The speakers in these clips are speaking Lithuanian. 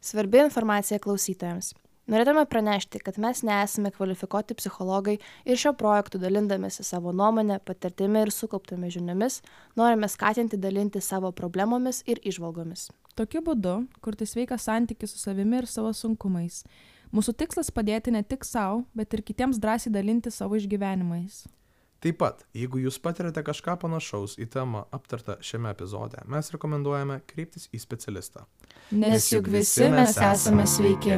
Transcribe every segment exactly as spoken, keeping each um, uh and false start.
Svarbi informacija klausytojams. Norėtume pranešti, kad mes nesame kvalifikuoti psichologai ir šio projektu dalindamėsi savo nuomonę, patirtimi ir sukauptomis žiniomis, norime skatinti dalinti savo problemomis ir įžvalgomis. Tokiu būdu kurti sveiką santykį su savimi ir savo sunkumais. Mūsų tikslas padėti ne tik savo, bet ir kitiems drąsiai dalinti savo išgyvenimais. Taip pat, jeigu jūs patirate kažką panašaus į temą aptartą šiame epizode, mes rekomenduojame kreiptis į specialistą. Nes juk visi mes esame sveiki.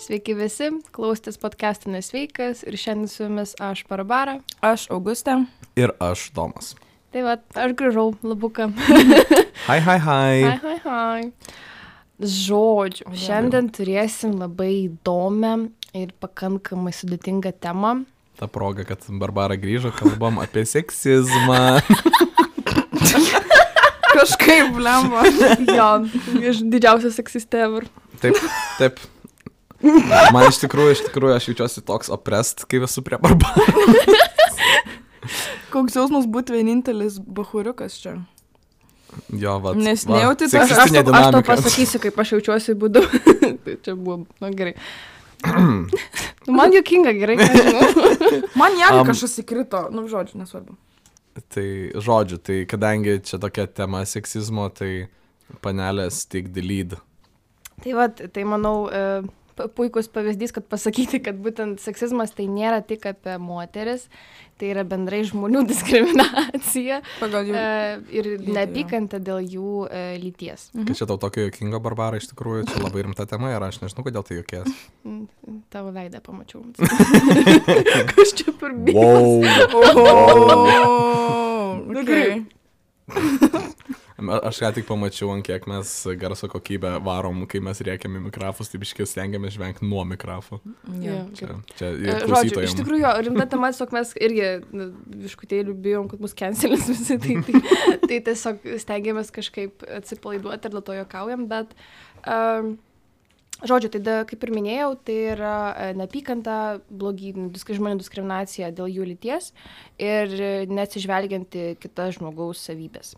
Sveiki visi, klausotės podcast'o Nesveikas ir šiandien su jumis aš Barbara. Aš Augustė. Ir aš Domas. Tai va, aš grįžau labuką. Hai, hai, hai. Hai, hai, hai. Žodžiu, šiandien turėsim labai įdomią ir pakankamai sudėtingą temą. Ta proga, kad Barbara grįžo, kalbam apie seksizmą. Kažkaip blemba. Jo, aš didžiausias seksistė ever. Taip, taip. Man iš tikrųjų, iš tikrųjų, aš jaučiuosi toks oppressed, kai esu prie Barbara. Koks jausmas būti vienintelis bachuriukas čia? Jo, va. Nes nejauti Aš, aš, to, aš to pasakysiu, kaip aš jaučiuosi būdu. Tai čia buvo, na gerai. Nu, man juokinga, gerai. Man jam Um, kažkas įkrito, nu žodžiu, nesvarbu. Tai žodžiu, tai kadangi čia tokia tema seksizmo, tai panelės take the lead. Tai va, tai manau, e, puikus pavyzdys, kad pasakyti, kad būtent seksizmas tai nėra tik apie moteris, tai yra bendrai žmonių diskriminacija Pagal jų e, ir lytį, neapykanta dėl jų e, lyties. Kad čia tau tokio juokingo, Barbara, iš tikrųjų, čia labai rimta tema ir aš nežinau, kodėl tai juokės. Mm, Tavo veidą pamačiau. Kas čia per bijo? Wow. Oh, okay. Aš ką tik pamačiau, ant kiek mes garso kokybę varom, kai mes rėkiam į mikrofus, tai biškiai stengiamės žvengti nuo mikrofų. Jo, Čia, čia E, ir Žodžiu, iš klausytojams. tikrųjų, jo, rimta tema, tiesiog mes irgi nu, viškutėlių bijom, kad mus cancelis visi, tai, tai, tai tiesiog stengiamės kažkaip atsipalaiduoti ir dėl to juokaujam, bet um, žodžiu, tai da, kaip ir minėjau, tai yra e, neapykanta, blogi, disk, žmonių diskriminacija dėl jų lyties ir e, neatsižvelgianti kitas žmogaus savybės.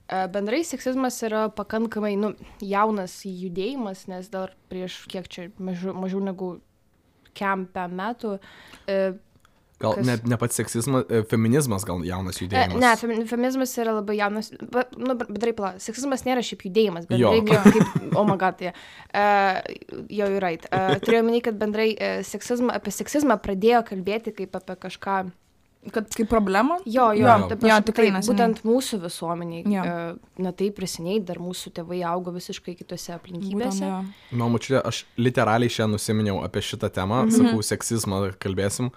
E, Bendrai seksizmas yra pakankamai nu, jaunas judėjimas, nes dar prieš kiek čia mažiau, mažiau negu kempę metų. E, Gal kas- ne, ne pats seksizmas, e, feminizmas gal jaunas e, judėjimas. ne, femi- feminizmas yra labai jaunas. be- Nu, bendrai pala, seksizmas nėra šiaip judėjimas, Jo. bendrai kaip, oh my god, tai. Uh, jo, you're right. Uh, turėjau minėti, kad bendrai uh, seksizmą, apie seksizmą pradėjo kalbėti kaip apie kažką. Kad kaip problema? Jo, jo, Jo. ta Jo, prasme, tikrai taip, neseniai. būtent mūsų visuomeniai. Jo. Uh, na taip, prisiniai, dar mūsų tėvai augo visiškai kitose aplinkybėse. Būtent, jo. Na, mačiute, aš literaliai šiandien nusiminiau apie šitą temą, Mhm. sakau, seksizmą kalbėsim.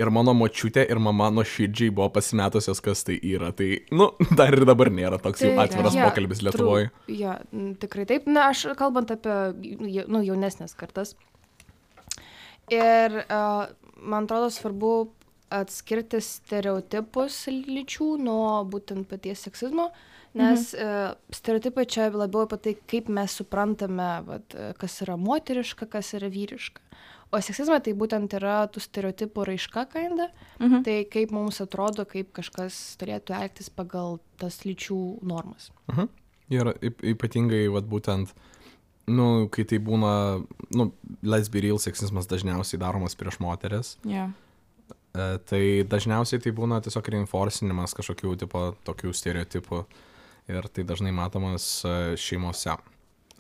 Ir mano močiutė ir mama nuoširdžiai buvo pasimetusios, kas tai yra. Tai, nu, dar ir dabar nėra toks jau Tai, atviras jo, pokalbis true. Lietuvoje. Jo, n- tikrai taip. Na, aš kalbant apie jau- nu, jaunesnės kartas. Ir uh, man atrodo svarbu atskirti stereotipus lyčių nuo būtent paties seksizmo, nes mhm. uh, stereotipai čia labiau apie tai, kaip mes suprantame, vat, e, kas yra moteriška, kas yra vyriška. O seksizmas tai būtent yra tų stereotipų raiška kinda, Mhm. tai kaip mums atrodo, kaip kažkas turėtų elgtis pagal tas lyčių normas. Mhm. Ir yp- ypatingai, vat, būtent, nu, kai tai būna, nu, let's be real, seksizmas dažniausiai daromas prieš moteris. Jo. E, tai dažniausiai tai būna tiesiog reinforcinimas kažkokių tipo tokių stereotipų. Ir tai dažnai matomas e, šeimose.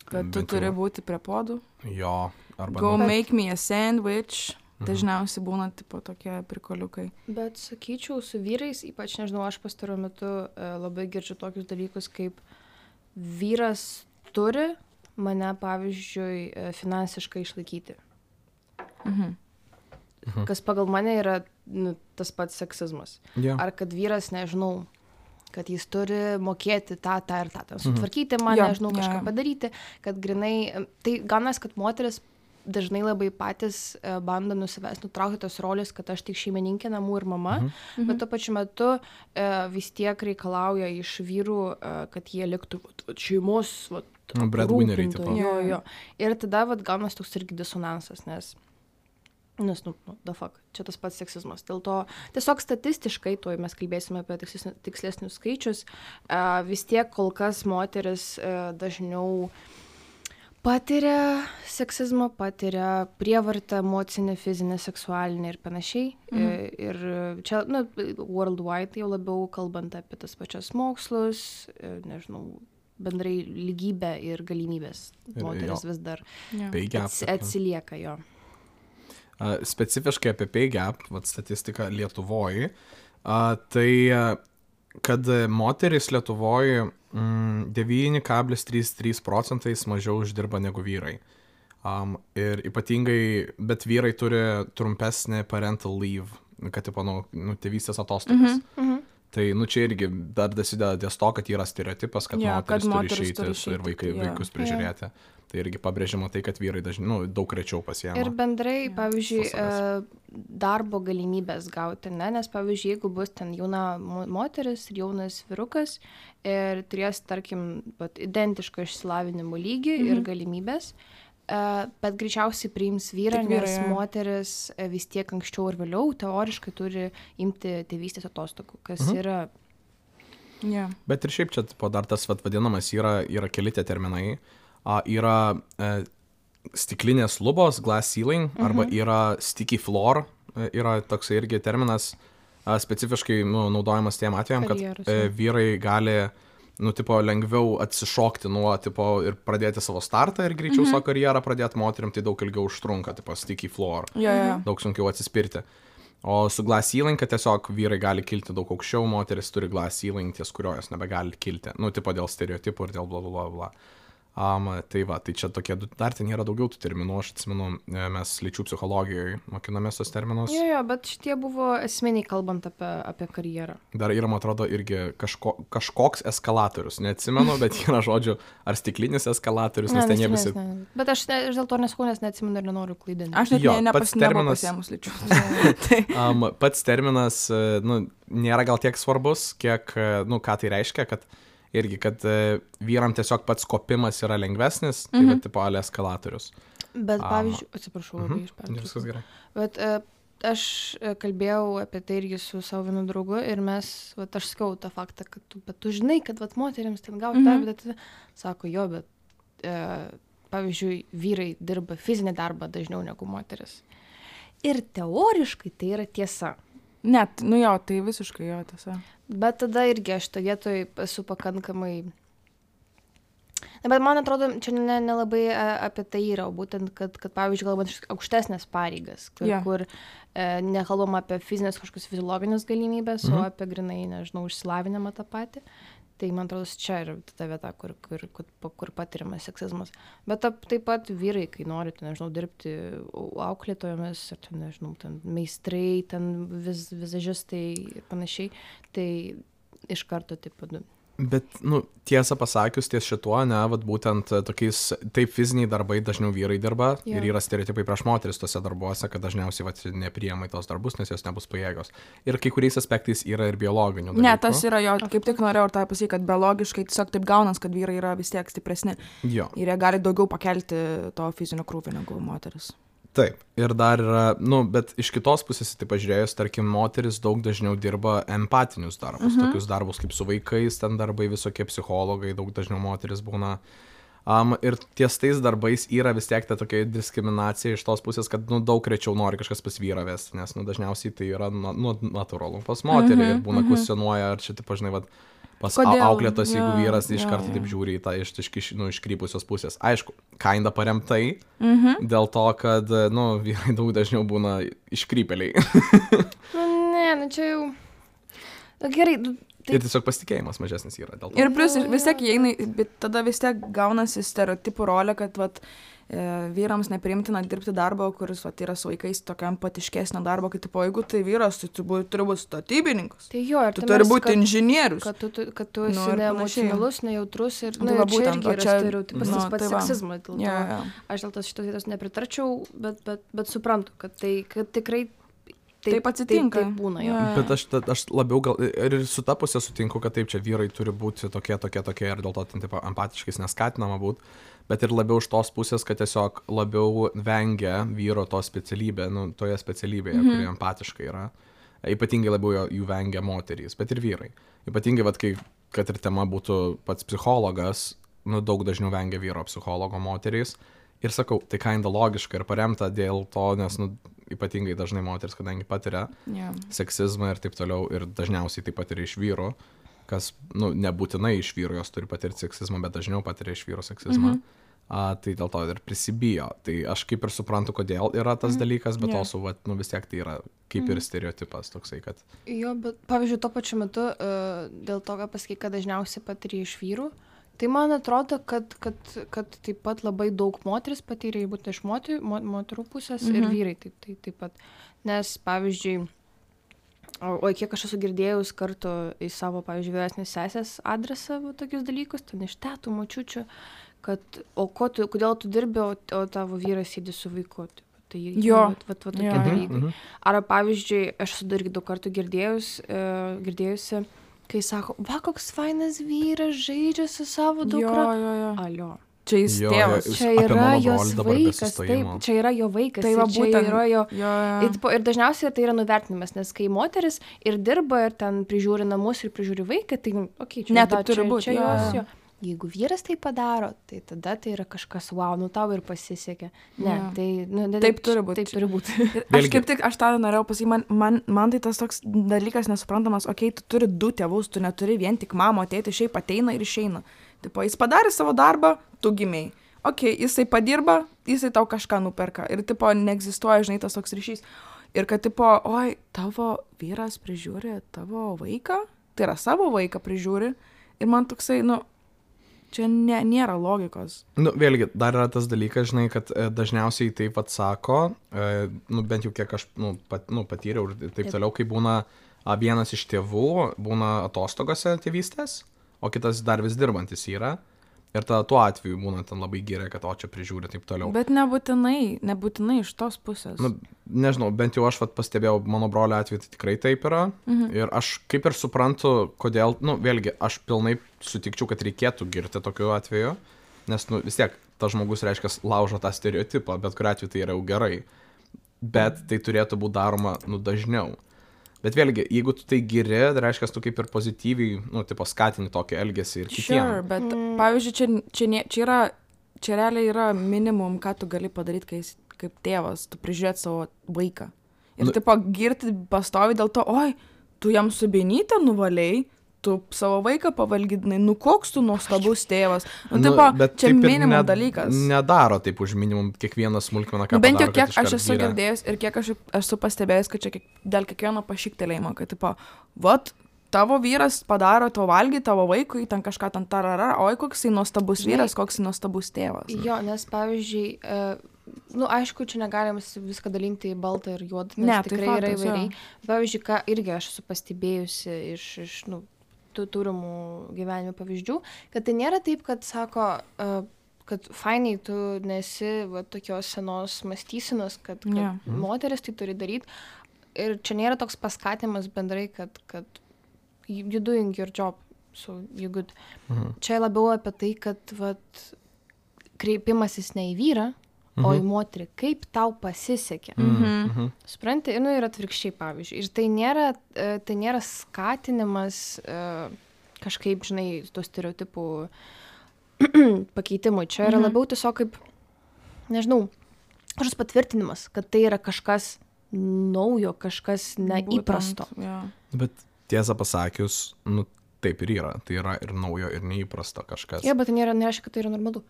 Kad tu Bent turi jau- būti prie podų. Jo, arba... Go nu, make me a sandwich. Mhm. Dažniausiai būna tipo tokie prikoliukai. Bet sakyčiau, su vyrais, ypač nežinau, aš pastaruoju metu e, labai girdžiu tokius dalykus, kaip vyras turi mane, pavyzdžiui, e, finansiškai išlaikyti. Mhm. Mhm. Kas pagal mane yra nu, tas pats seksizmas. jo. Ar kad vyras, nežinau, kad jis turi mokėti tą, tą ir tą, tą Mhm. sutvarkyti man, Jo, nežinau, jo, kažką jo. padaryti, kad grinai, tai ganas, kad moteris dažnai labai patys e, bando nusivest, nutraukti tos rolės, kad aš tik šeimininkė namų ir mama, Mhm. bet tuo pačiu metu e, vis tiek reikalauja iš vyrų, e, kad jie liktų vat, vat, šeimos, vat, Nu, breadwinneriai, rūpintojai. tipo. Jo, jo. Ir tada vat, gaunas toks irgi disonansas, nes Nes, nu, nu, the fuck, čia tas pats seksizmas. Dėl to tiesiog statistiškai, tuoj mes kalbėsime apie tikslesnius, tikslesnius skaičius, uh, vis tiek kol kas moteris uh, dažniau patiria seksizmą, patiria prievartą emocinę, fizinę, seksualinę ir panašiai. Mhm. Ir čia, nu, worldwide jau labiau kalbant apie tas pačias mokslus, nežinau, bendrai lygybę ir galimybės. Moteris vis dar ats, atsilieka jo. Uh, specifiškai apie pay gap, vat statistika Lietuvoje, uh, tai uh, kad moterys Lietuvoje mm, devyni kablelis trys trys procentais mažiau uždirba negu vyrai. Um, ir ypatingai, bet vyrai turi trumpesnį parental leave, kad tipo, nu, nu, tėvystės atostogas. Mm-hmm. Mm-hmm. Tai, nu, čia irgi dar dasideda ties to, kad yra stereotipas, kad ja, moteris, kad turi moteris išeiti turi išeiti ir vaikai, ja. vaikus prižiūrėti. Ja. Tai irgi pabrėžima tai, kad vyrai dažnai, nu, daug rečiau pasiema. Ir bendrai, ja. pavyzdžiui, darbo galimybės gauti, ne? Nes, pavyzdžiui, jeigu bus ten jauna moteris ir jaunas vyrukas ir turės, tarkim, pat, identišką išsilavinimo lygį mhm. ir galimybės, bet greičiausiai priims vyrą, vyrai, nes ja. moteris vis tiek anksčiau ir vėliau teoriškai turi imti tėvystės atostogų, kas mhm. yra... Yeah. Bet ir šiaip čia po dar tas vat, vadinamas yra, yra keli tie terminai. Uh, yra uh, stiklinės lubos, glass ceiling, mhm. arba yra sticky floor, uh, yra toksai irgi terminas uh, specifiškai nu, naudojamas tiem atvejam, kad uh, vyrai gali nu, tipo, lengviau atsišokti nuo tipo, ir pradėti savo startą ir greičiau mhm. savo karjerą pradėti, moterim tai daug ilgiau užtrunka, tipo sticky floor, ja, ja. daug sunkiau atsispirti. O su glass ceiling, kad tiesiog vyrai gali kilti daug aukščiau, moteris turi glass ceiling, ties kurio jos nebegali kilti, nu, tipo dėl stereotipų ir dėl bla bla bla. Um, tai va, tai čia tokie, dar ten yra daugiau tų terminų, aš atsimenu, mes lyčių psichologijoje mokinamės tos terminus. Jo, jo, bet šitie buvo esminiai kalbant apie, apie karjerą. Dar yra, man atrodo, irgi kažko, kažkoks eskalatorius, neatsimenu, bet yra žodžiu, ar stiklinis eskalatorius, nes ne, ten jie visi... Ne. Bet aš, ne, aš dėl to nesakau, nes neatsimenu ir nenoriu klaidinti. Aš net jo, ne, nepas, terminas, nepasėmus lyčių. um, pats terminas, nu, nėra gal tiek svarbus, kiek, nu, ką tai reiškia, kad irgi, kad uh, vyram tiesiog pats kopimas yra lengvesnis, tai mm-hmm. va, tipo, ale eskalatorius. Bet, pavyzdžiui, um, atsiprašau, labai mm-hmm. išpertraukiau. Viskas gerai. Bet uh, aš kalbėjau apie tai irgi su savo vienu draugu ir mes, va, aš sakau tą faktą, kad tu, bet tu žinai, kad va, moteriams ten gauti mm-hmm. darbą, bet sako, jo, bet, uh, pavyzdžiui, vyrai dirba fizinį darbą dažniau negu moteris. Ir teoriškai tai yra tiesa. Net, nu jo, tai visiškai jo tiesa. Bet tada irgi aš tą vietoj esu pakankamai... Na, bet man atrodo, čia nelabai ne, ne apie tai yra, būtent, kad, kad pavyzdžiui, galbūt aukštesnės pareigas, kur, yeah. kur e, nekalbam apie fizinės kažkokius fiziologinės galimybės, mm-hmm. o apie grinai, nežinau, išsilavinimą tą patį. Tai man atrodo, čia yra ta vieta, kur, kur, kur, kur patiriamas seksizmas. Bet ta, taip pat vyrai, kai norite, nežinau, dirbti auklėtojomis, ar ten, nežinau, ten meistrai, ten viz, vizažistai ir panašiai, tai iš karto taip pat... Bet, nu, tiesą pasakius, ties šituo, ne, vat būtent tokiais, taip fiziniai darbai dažniau vyrai dirba yeah. ir yra stereotipai prieš moteris tose darbuose, kad dažniausiai vat nepriema į tos darbus, nes jos nebus pajėgios. Ir kai kuriais aspektais yra ir biologinių dalykų. Ne, tas yra jo, kaip tik norėjau ir tą pasakyti, kad biologiškai tiesiog taip gaunas, kad vyrai yra vis tiek stipresni. Jo. Ir jie gali daugiau pakelti to fizinio krūvio negu moteris. Taip, ir dar yra, nu, bet iš kitos pusės, tai pažiūrėjus, tarkim, moteris daug dažniau dirba empatinius darbus, mhm. tokius darbus kaip su vaikais, ten darbai visokie psichologai, daug dažniau moteris būna. Um, ir ties tais darbais yra vis tiek ta tokia diskriminacija iš tos pusės, kad, nu, daug rečiau nori kažkas pas vyrą vesti, nes, nu, dažniausiai tai yra, nu, natūralu pas moterį mhm, ir būna mhm. kvestionuoja, ar čia, taip, žinai, vat, pas auklėtos, jeigu ja, vyras ja, iš karto ja. taip žiūri į tą iš, iš, nu, iškrypusios pusės. Aišku, kinda paremtai, mm-hmm. dėl to, kad, nu, vyrai daug dažniau būna iškrypeliai. Nu, ne, nu čia jau... Gerai, tai... Ir tiesiog pasitikėjimas mažesnis yra dėl to. Ir plus vis tiek įeina, bet tada vis tiek gaunasi stereotipų rolė, kad, vat, vyrams nepriimtina dirbti darbo, kuris vat, yra su vaikais tokio empatiškesnio darbo, kad tipo, jeigu tai vyras, tai tu bū, turi būti statybininkas. Tai jo, ir tu turi būti kad, inžinierius. Kad tu, kad tu esi nu, neemocionalus, nejautrus ir nu, nu, būtent, čia irgi yra čia, stereotipas, nu, tas pats tai seksizmas. Ja, ja. Aš dėl tos šitos vietos nepritarčiau, bet, bet, bet suprantu, kad tai kad tikrai taip atsitinka. Taip, taip būna jo. Jo. Bet aš, ta- aš labiau gal ir su ta pusė sutinku, kad taip, čia vyrai turi būti tokie, tokie, tokie ir dėl to ten taip empatiškais neskatinama būti, bet ir labiau iš tos pusės, kad tiesiog labiau vengia vyro to specialybė, nu, toje specialybėje, mm -hmm. kuri empatiškai yra. Ypatingai labiau jo- jų vengia moterys, bet ir vyrai. Ypatingai, vat, kai, kad ir tema būtų pats psichologas, nu, daug dažniau vengia vyro psichologo moterys. Ir sakau, tai kinda logiška ir paremta dėl to, nes, nu, ypatingai dažnai moteris, kadangi patiria Jo. seksizmą ir taip toliau, ir dažniausiai tai patiria iš vyro, kas, nu, nebūtinai iš vyro jos turi patirti seksizmą, bet dažniau patiria iš vyro seksizmą. Mhm. A, tai dėl to ir prisibijo. Tai aš kaip ir suprantu, kodėl yra tas dalykas, bet Jo. yeah. also, vat, nu, vis tiek tai yra kaip ir stereotipas toksai, kad... Jo, bet pavyzdžiui, tuo pačiu metu, uh, dėl to, ką pasakai, kad dažniausiai patiria iš vyrų, tai man atrodo, kad, kad, kad taip pat labai daug moteris patyrė, būtent iš moterų, mo, moterų pusės mhm. ir vyrai taip, taip, taip pat. Nes, pavyzdžiui, o, o kiek aš esu girdėjus kartu į savo, pavyzdžiui, vyresnės sesės adresą va, tokius dalykus, ten iš tetų, močiučių, kad, o ko tu, kodėl tu dirbi, o, o tavo vyras sėdi su vaiku. Taip, tai Jo. vat, vat, vat, tokie Jo. dalykai. Mhm. Ar, pavyzdžiui, aš esu dar irgi daug kartų girdėjus, uh, girdėjusi, kai sako, va, koks fainas vyras žaidžia su savo Jo, dukra. jo, jo. Alio. Čia jis Jo, tėvas. jo, Čia apie yra mano jos brolį dabar be vaikas, taip, sustojimo. čia yra jo vaikas. Tai va ir čia būtent. yra jo... Jo, jo. Ir, po- ir dažniausiai tai yra nuvertinimas, nes kai moteris ir dirba, ir ten prižiūri namus, ir prižiūri vaiką, tai, okei, čia, Ne, da, taip turi čia, būt, čia jo, jos, jo. jo. Jeigu vyras tai padaro, tai tada tai yra kažkas, wow, nu tau ir pasisekė. Ne, Jo. tai... Nu, ne, Taip turi būt. Taip turi būti. Ir aš Vėlgi- kaip tik, aš tą norėjau pasakyti, man, man, man tai tas toks dalykas nesuprantamas, okei, okay, tu turi du tėvus, tu neturi vien tik mamo, tėti, šiaip ateina ir išeina. Tipo, jis padarė savo darbą, tu gimiai. Okei, okay, jisai padirba, jisai tau kažką nuperka. Ir, tipo, neegzistuoja, žinai, tas toks ryšys. Ir kad, tipo, oi, tavo vyras prižiūri tavo vaiką, tai yra savo vaiką prižiūri. Ir man toksai, nu, čia ne, nėra logikos. Nu, vėlgi, dar yra tas dalykas, žinai, kad e, dažniausiai taip atsako, e, nu, bent jau kiek aš nu, pat, nu, patyriau ir taip Taip. toliau, kai būna a, vienas iš tėvų, būna atostogose tėvystės, o kitas dar vis dirbantis yra. Ir tada tuo atveju būna ten labai gerai, kad o čia prižiūri taip toliau. Bet nebūtinai, nebūtinai iš tos pusės. Nu, nežinau, bent jau aš vat, pastebėjau, mano brolio atveju tai tikrai taip yra. Mhm. Ir aš kaip ir suprantu, kodėl, nu, vėlgi, aš pilnai sutikčiau, kad reikėtų girti tokiu atveju, nes, nu, vis tiek, tas žmogus, reiškia, laužo tą stereotipą, bet kuriuo atveju tai yra jau gerai. Bet tai turėtų būti daroma, nu, dažniau. Bet vėlgi, jeigu tu tai giri, tai reiškia, tu kaip ir pozityviai, nu, tipo, skatini tokį elgesį ir kitiems. Sure, bet mm. pavyzdžiui, čia, čia, ne, čia yra, čia realiai yra minimum, ką tu gali padaryti, kai esi kaip tėvas, tu prižiūrėt savo vaiką. Ir Nu- tipo girti pastovi dėl to, oi, tu jam subienytę nuvalėjai, tu savo vaiką pavalgydinai, nu koks tu nuostabus tėvas. Nu, Nu, tipo, bet čia taip ir minimum ne- dalykas. Nedaro taip už minimum kiekvieną smulkmeną, ką Nu, bent jau padaro, kiek kad aš iškart esu giria. girdėjęs ir kiek aš esu pastebėjęs, kad čia kiek, dėl kiekvieno pašiktelėjimo, kad, tipo, vat, tavo vyras padaro to valgyti tavo vaikui, ten kažką ten tarara, oi, koks jis nuostabus Žinai- vyras, koks jis nuostabus tėvas. Jo, nes pavyzdžiui, uh, nu, aišku, čia negalim viską dalinti į baltą ir juodą, nes Ne, tai tikrai yra faktas, jo. įvairiai. Pavyzdžiui, ką irgi aš esu pastebėjusi iš, iš nu, tų turimų gyvenimo pavyzdžių, kad tai nėra taip, kad sako, uh, kad fainai tu nesi va, tokios senos mąstysenos, kad, kad Jo. yeah. moteris tai turi daryti. Ir čia nėra toks paskatimas bendrai, kad, kad you doing your job, so you good. Mhm. Čia labiau apie tai, kad vat, kreipimasis ne į vyrą, mhm. o į moterį, kaip tau pasisekė. Mhm. Mhm. Supranti, nu, ir atvirkščiai, pavyzdžiui. Ir tai nėra, e, tai nėra skatinimas e, kažkaip, žinai, tų stereotipų pakeitimui. Čia yra Mhm. labiau tiesiog kaip, nežinau, kažkoks patvirtinimas, kad tai yra kažkas naujo, kažkas neįprasto. Būtent, jo. Bet tiesą pasakius, nu, taip ir yra. Tai yra ir naujo, ir neįprasto kažkas. Jo, bet tai nėra, nereiškia, kad tai yra normalu.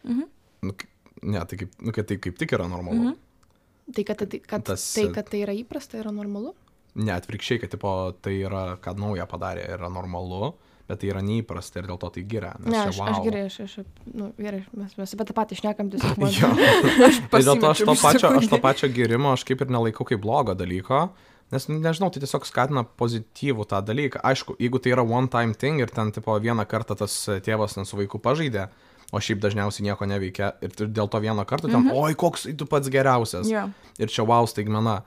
Mhm. Nu, k- ne, tai kaip, nu, kad tai kaip tik yra normalu. Mhm. Tai, kad, tai, kad, Tas, tai, e, kad tai yra įprasta, yra normalu. Ne, atvirkščiai, kad tipo, tai yra, kad naują padarė, yra normalu, bet tai yra neįprasta ir dėl to tai giria. Nes Ne, čia aš, wow. aš gerai, aš, aš, nu, gerai, mes, mes apie tą patį šnekam, tiesiog man. Jo. Tai dėl to aš to, pasimečiau pačio, aš to sekundę. pačio girimo aš kaip ir nelaikau kaip blogo dalyko, nes, nu, nežinau, tai tiesiog skatina pozityvų tą dalyką. Aišku, jeigu tai yra one time thing ir ten tipo vieną kartą tas tėvas ten su vaiku pažaidė, o šiaip dažniausiai nieko neveikia ir tu dėl to vieno karto ten, Mhm. oi, koks tu pats geriausias. Jo. Ir čia wow staigmena.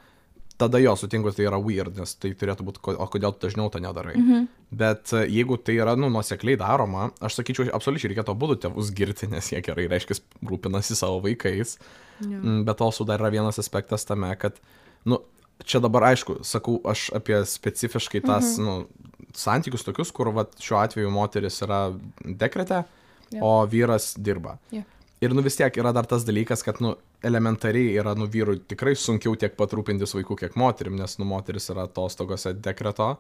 tada jo sutinku, tai yra weird, nes tai turėtų būti, o kodėl tu dažniau to nedarai. Mhm. Bet jeigu tai yra, nu, nuosekliai daroma, aš sakyčiau, absoliučiai reikėtų abudu tėvus girti, nes jie gerai, reiškia, rūpinasi savo vaikais. Ja. Bet also dar yra vienas aspektas tame, kad, nu, čia dabar aišku, sakau aš apie specifiškai tas, mhm. nu, santykius tokius, kur, va, šiuo atveju moteris yra dekrete, ja. O vyras dirba. Ja. Ir, nu, vis tiek yra dar tas dalykas, kad, nu, elementariai yra, nu, vyrui tikrai sunkiau tiek pat rūpintis vaikų, kiek moterim, nes, nu, moteris yra atostogose dekreto,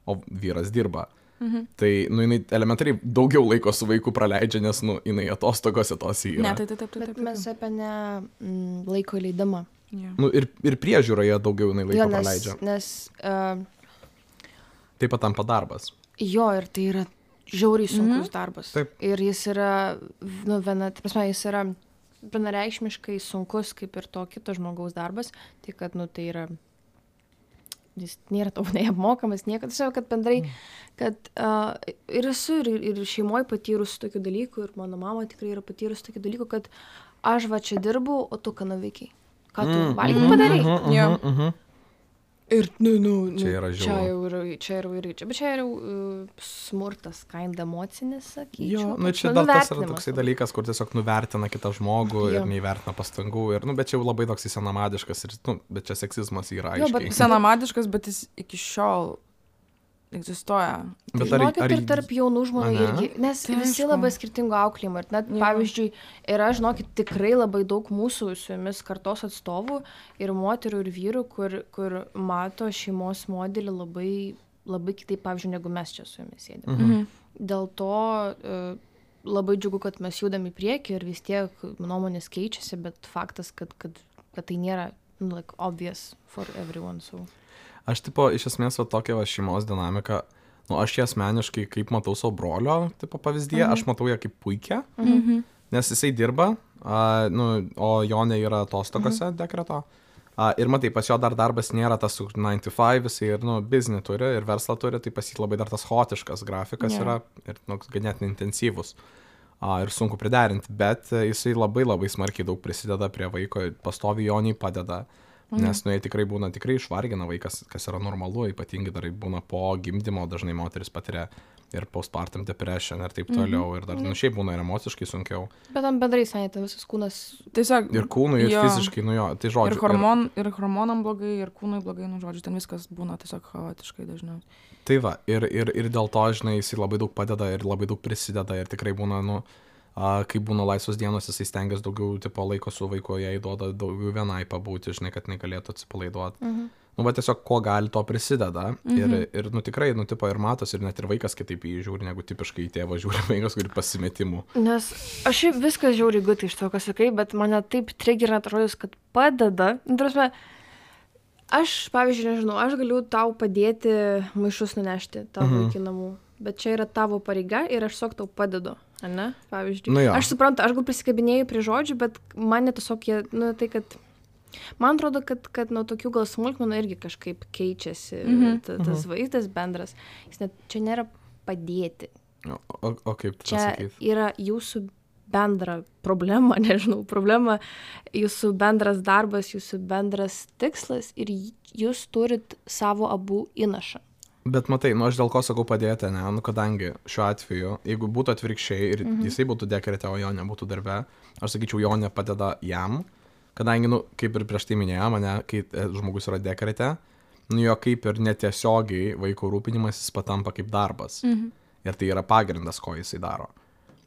o vyras dirba. Mhm. Tai, nu, jinai elementariai daugiau laiko su vaiku praleidžia, nes, nu, jinai atostogose tos yra. Ne, tai taip, taip, taip. Bet mes apie ne mm, laiko leidimą. Yeah. Nu, ir, ir priežiūroje daugiau jinai laiko jo, nes, praleidžia. Nes... Uh, taip pat tampa darbas. Jo, ir tai yra žiauriai sunkus mhm. darbas. Taip. Ir jis yra, nu, viena, tai prasme, jis yra vienareikšmiškai sunkus, kaip ir to kito žmogaus darbas, tai kad, nu, tai yra, jis nėra tau neapmokamas, niekada, tiesiog, kad bendrai, kad uh, ir esu, ir, ir šeimoje patyrus tokių dalykų, ir mano mama tikrai yra patyrus tokių dalykų, kad aš va čia dirbu, o tu ką nuveikiai, ką tu mm, valgyti mm, padarai. Mm, mm, mm, mm. Ir, nu, nu, nu, čia yra čia jau yra, čia yra, čia, bet čia yra uh, smurtas, kind emocinis, sakyčiau. Jo, nu, čia dar tas yra toksai dalykas, kur tiesiog nuvertina kitą žmogų jo. Ir neįvertina pastangų, ir, nu, bet čia jau labai toks senamadiškas, ir, nu, bet čia seksizmas yra aiškiai. Jo, bet senamadiškas, bet jis iki šiol egzistuoja. Bet ar, žinokit, ar, ir tarp jaunų žmonių irgi, nes tai visi aišku. Labai skirtingo auklėjimo. Ir net, ja. Pavyzdžiui, yra, žinokit, tikrai labai daug mūsų su jumis kartos atstovų ir moterų ir vyrų, kur, kur mato šeimos modelį labai, labai kitaip, pavyzdžiui, negu mes čia su jumis sėdėm. Mhm. Dėl to uh, labai džiugu, kad mes judam į priekį ir vis tiek nuomonės keičiasi, bet faktas, kad, kad, kad tai nėra nu, like, obvious for everyone. So. Aš, tipo, iš esmės, va, tokia va, šeimos dinamika, nu, aš ją asmeniškai, kaip matau savo brolio, tipo, pavyzdyje, mhm. aš matau ją kaip puikia, mhm. nes jisai dirba, a, nu, o Jonė yra atostogose mhm. dekreto. A, ir matai, pas jo dar darbas nėra tas nine to five, jisai ir, nu, biznį turi, ir verslą turi, tai pas jį labai dar tas chaotiškas grafikas yeah. yra, ir, nu, ganėtinai intensyvus. A, ir sunku priderinti, bet jisai labai labai smarkiai daug prisideda prie vaiko, pastovi Joniai padeda. Mhm. Nes, nu, jie tikrai būna, tikrai išvargina vaikas, kas yra normalu, ypatingai dar būna po gimdymo, dažnai moteris patiria ir postpartum depression ir taip toliau, mhm. ir dar, nu, šiaip būna ir emociškai sunkiau. Bet tam bendrai, sanėte, visas kūnas... Tiesiog... Ir kūnui, ir jo. Fiziškai, nu jo, tai žodžiu. Ir, hormon, ir... ir hormonam blogai, ir kūnui blogai, nu, žodžiu, ten viskas būna tiesiog chaotiškai dažnai. Tai va, ir, ir, ir dėl to, žinai, jisai labai daug padeda ir labai daug prisideda ir tikrai būna, nu... Uh, kai būna laisvos dienos, jisai stengiasi daugiau tipo, laiko su vaiku, jai duoda daugiau vienai pabūti, žinai, kad negalėtų atsipalaiduoti. Mhm. Nu, va tiesiog, ko gali, to prisideda. Mhm. Ir, ir, nu, tikrai, nu, tipo, ir matos, ir net ir vaikas kitaip jį žiūri, negu tipiškai į tėvą žiūri vaikas, kuri pasimetimų. Nes aš viskas žiūri gutai iš to, ką sakai, bet mane taip triggerina atrodys, kad padeda. Nu, tarsi, aš, pavyzdžiui, nežinau, aš galiu tau padėti maišus nunešti tavo mhm. iki namų. Bet čia yra tavo pareiga ir aš tiesiog tau padedu, ne, pavyzdžiui. Nu, aš suprantu, aš gal prisikabinėjau prie žodžių, bet man tiesiog jie, nu, tai kad, man atrodo, kad, kad nuo tokių gal smulkmenų irgi kažkaip keičiasi mm-hmm. ta, tas mm-hmm. vaizdas bendras. Jis net, čia nėra padėti. O, o, o kaip tu čia pasakyt? Yra jūsų bendra problema, nežinau, problema, jūsų bendras darbas, jūsų bendras tikslas ir jūs turit savo abu įnašą. Bet matai, nu aš dėl ko sakau padėti, ne, nu kadangi šiuo atveju, jeigu būtų atvirkščiai ir mhm. jisai būtų dekrete, o Jonė būtų darbe, aš sakyčiau, Jonė padeda jam, kadangi, nu, kaip ir prieš tai minėjau, mane, kai žmogus yra dekrete, nu jo kaip ir netiesiogiai vaiko rūpinimas jis patampa kaip darbas. Mhm. Ir tai yra pagrindas, ko jisai daro.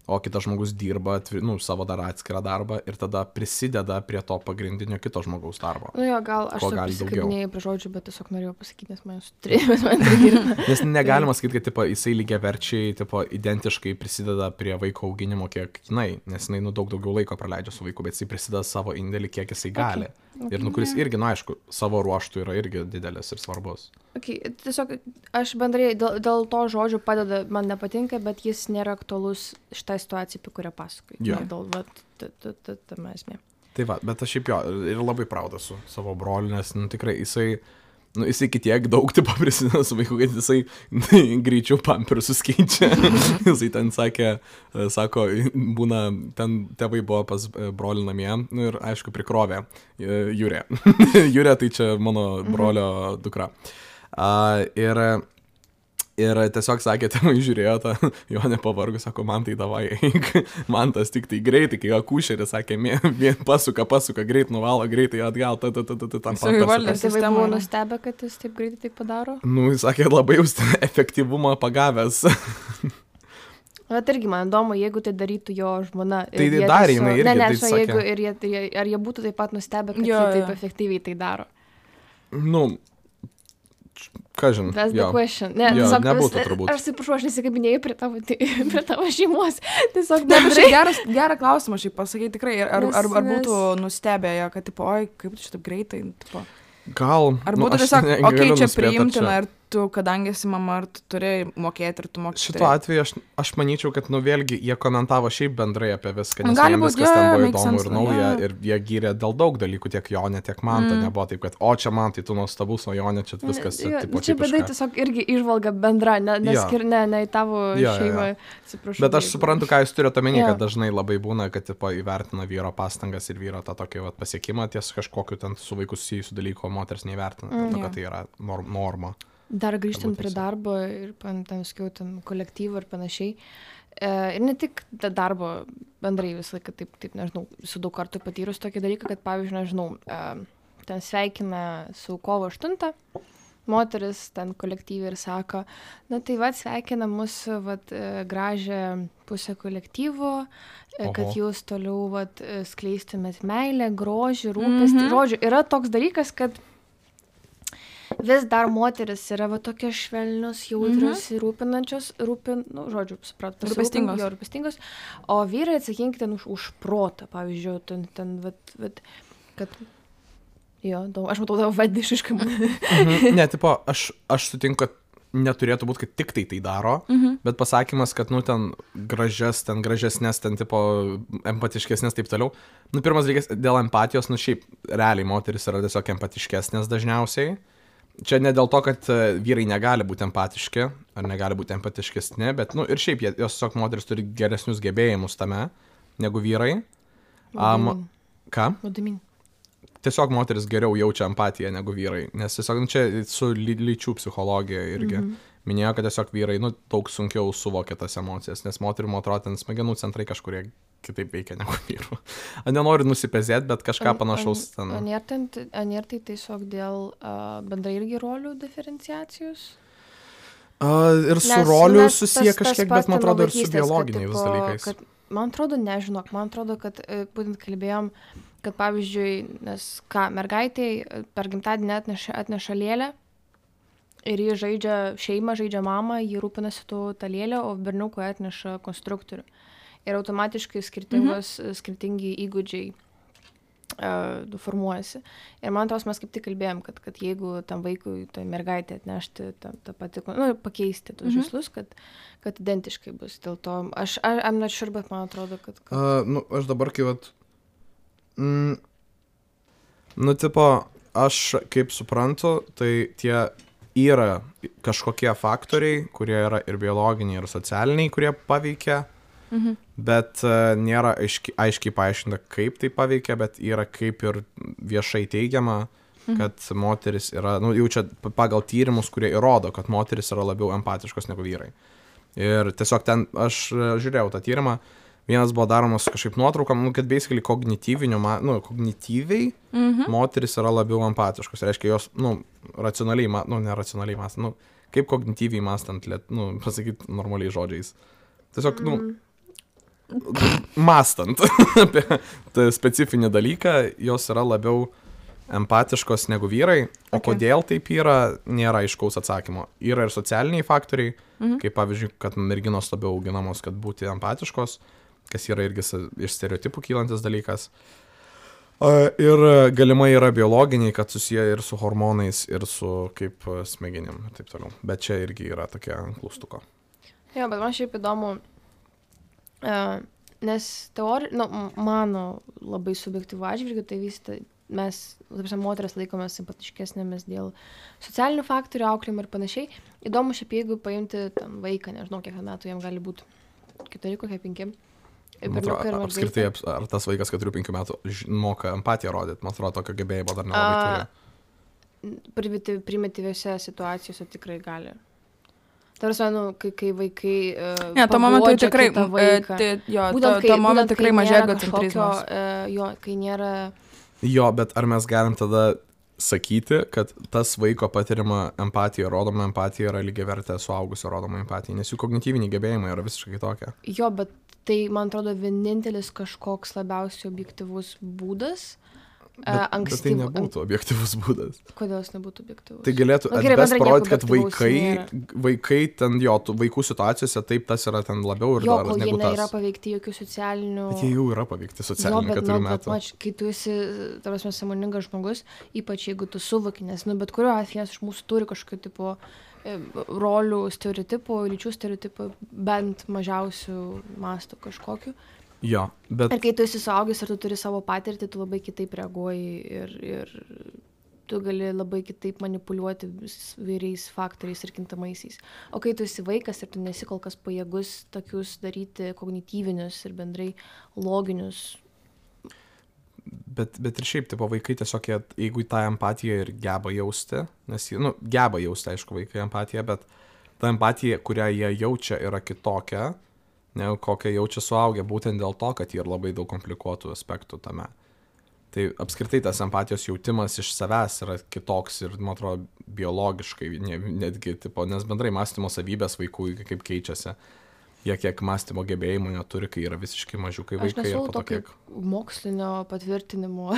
O kitas žmogus dirba, nu, savo dar atskirą darbą ir tada prisideda prie to pagrindinio kito žmogaus darbo. Nu jo, gal aš prisikabinėjau prie žodžių, bet tiesiog norėjau pasakyti, nes man jūs turėjomės man triggerina. Nes negalima sakyti, kad tipo, jisai lygiaverčiai tipo, identiškai prisideda prie vaiko auginimo, kiek jinai, nes jinai nu, daug daugiau laiko praleidžia su vaiku, bet jisai prisideda savo indėlį, kiek jisai gali. Okay. Okay, ir nu, kuris yeah. irgi, na, aišku, savo ruoštų yra irgi didelis ir svarbus. Okay, tiesiog aš bendrai dėl, dėl to žodžio padeda, man nepatinka, bet jis nėra aktualus šitą situaciją, apie kurią pasakoju. Yeah. Dėl, vat, tame esmė. Tai va, bet aš šiaip jo ir labai proud esu savo broliu, nes nu, tikrai jisai, nu, jisai kitiek daug tipo prisideda su vaiku, kad jisai greičiau pampersus keičia. Jisai ten sakė, sako, būna, ten tėvai buvo pas brolį namie, nu ir aišku prikrovė Jūrė. Jūrė tai čia mano brolio dukra. Uh, ir Ir tiesiog sakė, tėvai žiūrėjo tą, jo nepavargus, sako, man tai davai, eik, man tas tik tai greitai, kai akušeris sakė, vien pasuka, pasuka, greit nuvalo, greitai atgal, ta, ta, ta, ta, ta, tam pampersus. Tėvai buvo nustebę, kad jis taip greitai taip padaro? Nu, jis sakė, labai jūs efektyvumą pagavęs. Bet irgi man įdomu, jeigu tai darytų jo žmona. Tai darė jinai irgi, ne, ne, tai sakė. Jeigu, ir jie, ar jie būtų taip pat nustebę, kad jo, jie taip efektyviai tai daro? Nu, ką žinai? That's the question. Ne, jo, tiesiog, nebūtų turbūt. Aš atsiprašau, aš nesikabinėjau prie tavo, prie tavo šeimos. Tiesiog bendrai. Geras, gerą klausimą šiaip pasakyti tikrai. Ar, nes, ar, ar būtų nes... nustebę, kad, tipo, oi, kaip tu šitaip greitai, tipo. Gal. Ar būtų nu, tiesiog, okei, okay, čia priimtina, ir tu, kadangi esi mama, ar tu turėjai mokėti, ir tu mokėti. Šituo atveju aš, aš manyčiau, kad, nu, vėlgi, jie komentavo šiaip bendrai apie viską, nes gali jiems būt, viskas yeah, ten buvo įdomu sense, ir nauja, yeah. ir jie gyrė dėl daug dalykų, tiek Jonė, tiek man, mm. tai nebuvo taip, kad, o čia man, tai tu nuostabus, o Jonė, čia viskas, ja, tipo, čia bedai tiesiog irgi išvalga bendra, ne, neskir, ne, ne į tavo ja, šeimą, ja, ja. atsiprašau. Bet aš suprantu, ką jūs turite omeny, ja. Kad dažnai labai būna, kad, tipo, įvertina vyro pastangas ir vyro tą tokį, vat, pasiekimą ties kažkokiu ten su vaiku susijusiu dalyku, o moters neįvertina, mm. to, kad tai yra norma. Dar grįžtant prie darbo ir ten, sakiau, ten kolektyvų ir panašiai. E, ir ne tik darbo bendrai visą laiką, taip, taip, nežinau, su daug kartų patyrus tokį dalyką, kad, pavyzdžiui, nežinau, e, ten sveikina su kovo aštuntą, moteris ten kolektyviai ir sako, na tai va, sveikina mūsų vat, gražią pusę kolektyvo, Oho. Kad jūs toliau vat, skleistumėt meilę, grožį, rūpestį. Mm-hmm. Žodžiu, yra toks dalykas, kad vis dar moteris yra va tokios švelnios, jautrios ir mm-hmm. rūpinančios, rūpin, nu, žodžiu, supratau, rūpestingos. Jo, rūpestingos, o vyrai atsakingi ten už, už protą, pavyzdžiui, ten, ten, vat, vat, kad, jo, daug, aš matau tavo vadišiškai. mhm. Ne, tipo, aš, aš sutinku, kad neturėtų būti, kad tik tai tai daro, mhm. bet pasakymas, kad, nu, ten gražias, ten gražesnės, ten, tipo, empatiškesnės, taip toliau. Nu, pirmas dalykas, dėl empatijos, nu, šiaip, realiai moteris yra tiesiog empatiškesnės dažniausiai. Čia ne dėl to, kad vyrai negali būti empatiški, ar negali būti empatiškesni, bet, nu, ir šiaip, jos tiesiog moteris turi geresnius gebėjimus tame, negu vyrai. Um, ką? Vadimin. Tiesiog moteris geriau jaučia empatiją negu vyrai, nes tiesiog, nu, čia su ly lyčių psichologija irgi mm-hmm. minėjo, kad tiesiog vyrai, nu, daug sunkiau suvokia tas emocijas, nes moterų, man atrodo, ten smegenų centrai kažkurie kitaip veikia negu vyrų. Nenoriu nusipezėti, bet kažką panašaus ten. Ar nėra tai tiesiog dėl uh, bendrai irgi rolių diferenciacijos? Uh, ir su nes, rolių nes susiję tas, kažkiek, tas bet man atrodo ir su biologiniais kad, dalykais. Kad, man atrodo, nežinok, man atrodo, kad būtent kalbėjom, kad pavyzdžiui, nes ką, mergaitėj per gimtadienį atneša, atneša lėlę ir jį žaidžia šeimą, žaidžia mamą, jį rūpinasi tų tą lėlę, o berniukui atneša konstruktorių. Ir automatiškai skirtingos, mhm. skirtingi įgūdžiai uh, formuojasi. Ir man atrodo, mes kaip tik kalbėjom, kad, kad jeigu tam vaikui, tai mergaitė atnešti tą, tą patį, nu, pakeisti tos mhm. žaislus, kad, kad identiškai bus. Dėl to, aš, I'm not sure, bet man atrodo, kad... kad... Uh, nu, aš dabar kai vat... Mm, nu, tipo, aš kaip suprantu, tai tie yra kažkokie faktoriai, kurie yra ir biologiniai, ir socialiniai, kurie paveikia. Mhm. Bet uh, nėra aiškiai, aiškiai paaiškinta, kaip tai paveikia, bet yra kaip ir viešai teigiama, mhm. kad moteris yra, nu, jau čia pagal tyrimus, kurie įrodo, kad moteris yra labiau empatiškos negu vyrai. Ir tiesiog ten, aš žiūrėjau tą tyrimą, vienas buvo daromas kažkaip nuotraukam, nu, kad basically kognityviniu, nu, kognityviai mhm. moteris yra labiau empatiškos. Reiškia, jos, nu, racionaliai, nu, neracionaliai mąstant, nu, kaip kognityviai mąstant, nu, pasakyti normaliai žodžiais. Tiesiog, nu, mm. mąstant apie tą specifinį dalyką, jos yra labiau empatiškos negu vyrai, o okay. kodėl taip yra, nėra aiškaus atsakymo. Yra ir socialiniai faktoriai, mhm. kaip pavyzdžiui, kad merginos labiau auginamos, kad būti empatiškos, kas yra irgi iš stereotipų kylantis dalykas. Ir galimai yra biologiniai, kad susiję ir su hormonais, ir su kaip smegenim ir taip toliau. Bet čia irgi yra tokia klaustuko. Jo, bet man šiaip įdomu, Uh, nes teorija, nu, mano labai subjektyvų atžvilgių, tai vis, tai mes, tarsi, moteris laikomės simpatiškesnėmis dėl socialinių faktorių, auklėjimo ir panašiai. Įdomu šiaip, jeigu paimti tam vaiką, nežinau, kiek metų jam gali būti, keturi, kokie penki. Man atrodo, apskritai, ar tas vaikas keturių penkių metų moka empatiją rodyti, man atrodo, tokio gebėjimo dar nelabai turi. Primityviose situacijose tikrai gali. Tarsi, nu, kai, kai vaikai uh, ne, to momentu tikrai, vaiką, tai, jo, būtent, to, kai, to momentu tikrai mažėja egocentrizmas. Uh, jo, kai nėra... Jo, bet ar mes galim tada sakyti, kad tas vaiko patiriama empatija, rodoma empatija yra lygiavertė suaugusio rodoma empatija, nes jų kognityviniai gebėjimai yra visiškai kitokie. Jo, bet tai, man atrodo, vienintelis kažkoks labiausiai objektyvus būdas. Bet, ankstyv... bet tai nebūtų objektyvus būdas. Kodėl jis nebūtų objektyvus? Tai galėtų nu, atbest parodyti, kad vaikai, vaikai ten, jo, vaikų situacijose taip tas yra ten labiau ir jo, dar negu tas. Jo, kol jie nėra paveikti jokių socialinių... Bet jie jau yra paveikti socialinių keturių nu, metų. Mač, kai tu esi, tarsi, sąmoningas žmogus, ypač jeigu tu suvoki, nes, nu, bet kuriuo atveju iš mūsų turi kažkokio tipo rolių stereotipų, lyčių stereotipų, bent mažiausių mastų kažkokiu. Jo, bet... Ir kai tu esi suaugęs ir tu turi savo patirtį, tu labai kitaip reaguoji ir, ir tu gali labai kitaip manipuliuoti vairiais faktoriais ir kintamaisiais. O kai tu esi vaikas ir tu nesi kol kas pajėgus tokius daryti kognityvinius ir bendrai loginius. Bet, bet ir šiaip, tipo, vaikai tiesiog, jeigu tą empatiją ir geba jausti, nes, nu, geba jausti, aišku, vaikai empatiją, bet ta empatija, kurią jie jaučia, yra kitokia, negu kokią jaučia suaugę, būtent dėl to, kad yra labai daug komplikuotų aspektų tame. Tai apskritai tas empatijos jautimas iš savęs yra kitoks ir, man atrodo, biologiškai netgi, tipo, nes bendrai mąstymo savybės vaikų kaip keičiasi. Jie kiek mąstymo gebėjimų neturi, kai yra visiškai mažiukai vaikai. Aš ir po to kiek... mokslinio patvirtinimo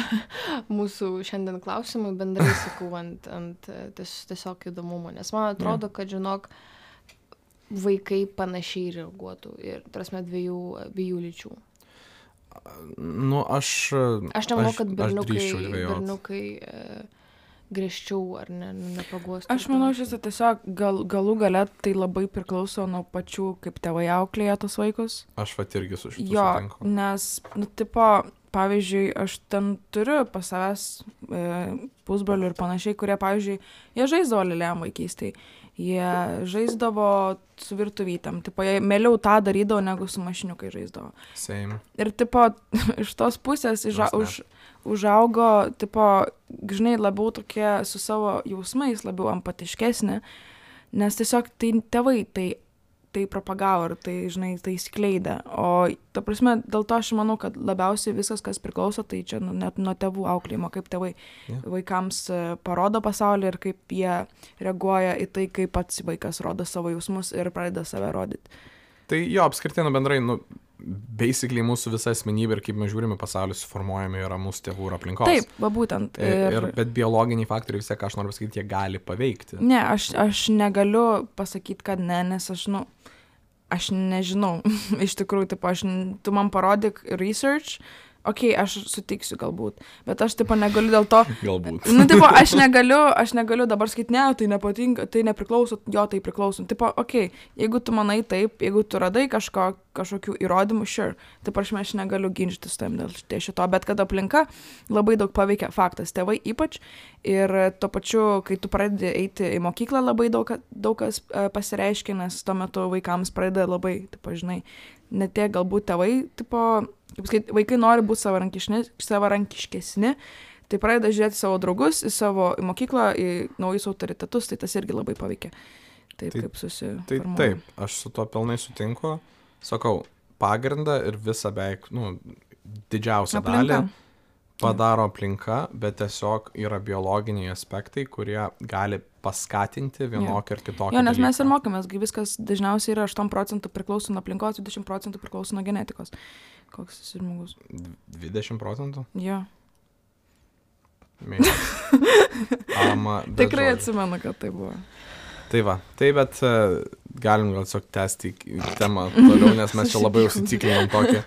mūsų šiandien klausimui bendrai sakau ant, ant ties, tiesiog įdomumo, nes man atrodo, kad, žinok, vaikai panašiai reaguotų ir, tarsi, dviejų, dviejų lyčių. Nu, aš... Aš nemanau, kad berniukai, berniukai e, griežčiau ar ne, nepaguostų. Aš manau, šis tiesiog gal, galų gale tai labai priklauso nuo pačių, kaip tėvai auklėja tos vaikus. Aš vat irgi su šitu jo, sutinku. Nes, nu, tipo, pavyzdžiui, aš ten turiu pas savęs e, pusbrolių ir panašiai, kurie, pavyzdžiui, jie žaisdavo lėlėm vaikystėj. Jie žaisdavo su virtuvytėm, tipo, jie mieliau tą darydavo, negu su mašiniukai žaisdavo. Same. Ir, tipo, iš tos pusės iža, už, užaugo, tipo, žinai, labiau tokie su savo jausmais, labiau empatiškesni, nes tiesiog tai tėvai tai, tai propagavo ir tai, žinai, tai skleidė. O, ta prasme, dėl to aš manau, kad labiausiai viskas, kas priklauso, tai čia nu, net nuo tėvų auklėjimo, kaip tėvai yeah. vaikams parodo pasaulį ir kaip jie reaguoja į tai, kaip pats vaikas rodo savo jausmus ir pradeda save rodyti. Tai jo, apskritai, nu, bendrai, nu, basically mūsų visa asmenybė ir kaip mes žiūrime pasaulį suformuojami yra mūsų tėvų ir aplinkos. Taip, va būtent. Ir... Ir, bet biologiniai faktoriai vis tiek, aš noriu pasakyti, jie gali paveikti. Ne, aš, aš negaliu pasakyti, kad ne, nes aš, nu, aš nežinau, iš tikrųjų, taip, aš, tu man parodyk research, okei, okay, aš sutiksiu galbūt, bet aš, tipo, negaliu dėl to... Galbūt. Nu, tipo, aš negaliu, aš negaliu dabar sakyti, ne, tai nepatinka, tai nepriklauso, jo, tai priklauso. Tipo, okei, okay, jeigu tu manai taip, jeigu tu radai kažko, kažkokių įrodymų, sure, taip aš, aš negaliu ginčytis tam dėl šito, bet kad aplinka labai daug paveikia faktas, tėvai ypač, ir tuo pačiu, kai tu pradedi eiti į mokyklą, labai daug, daug kas pasireiškia, nes tuo metu vaikams pradeda labai, tipo, žinai, ne tiek galbūt tėvai, tipo, kaip sakyti, vaikai nori būti savarankiškesni, tai pradeda žiūrėti savo draugus, į savo į mokyklą, į naujus autoritetus, tai tas irgi labai paveikia. Taip, tai, kaip susiformuoja. Tai taip, aš su to pilnai sutinku. Sakau, pagrindą ir visą beveik, nu, didžiausią aplinka. Dalį padaro aplinka, bet tiesiog yra biologiniai aspektai, kurie gali paskatinti vienokį ir kitokį. Jo, nes dalyką. mes ir mokėmės, viskas dažniausiai yra aštuoni procentų priklauso nuo aplinkos, dvidešimt procentų priklauso nuo genetikos. Koks esi žmogus? dvidešimt procentų? Jo. um, Tikrai žodžiu. Atsimenu, kad tai buvo. Tai va, tai bet uh, galim gal tiesiog tęsti temą toliau, nes mes čia labai užsitikrinom tokį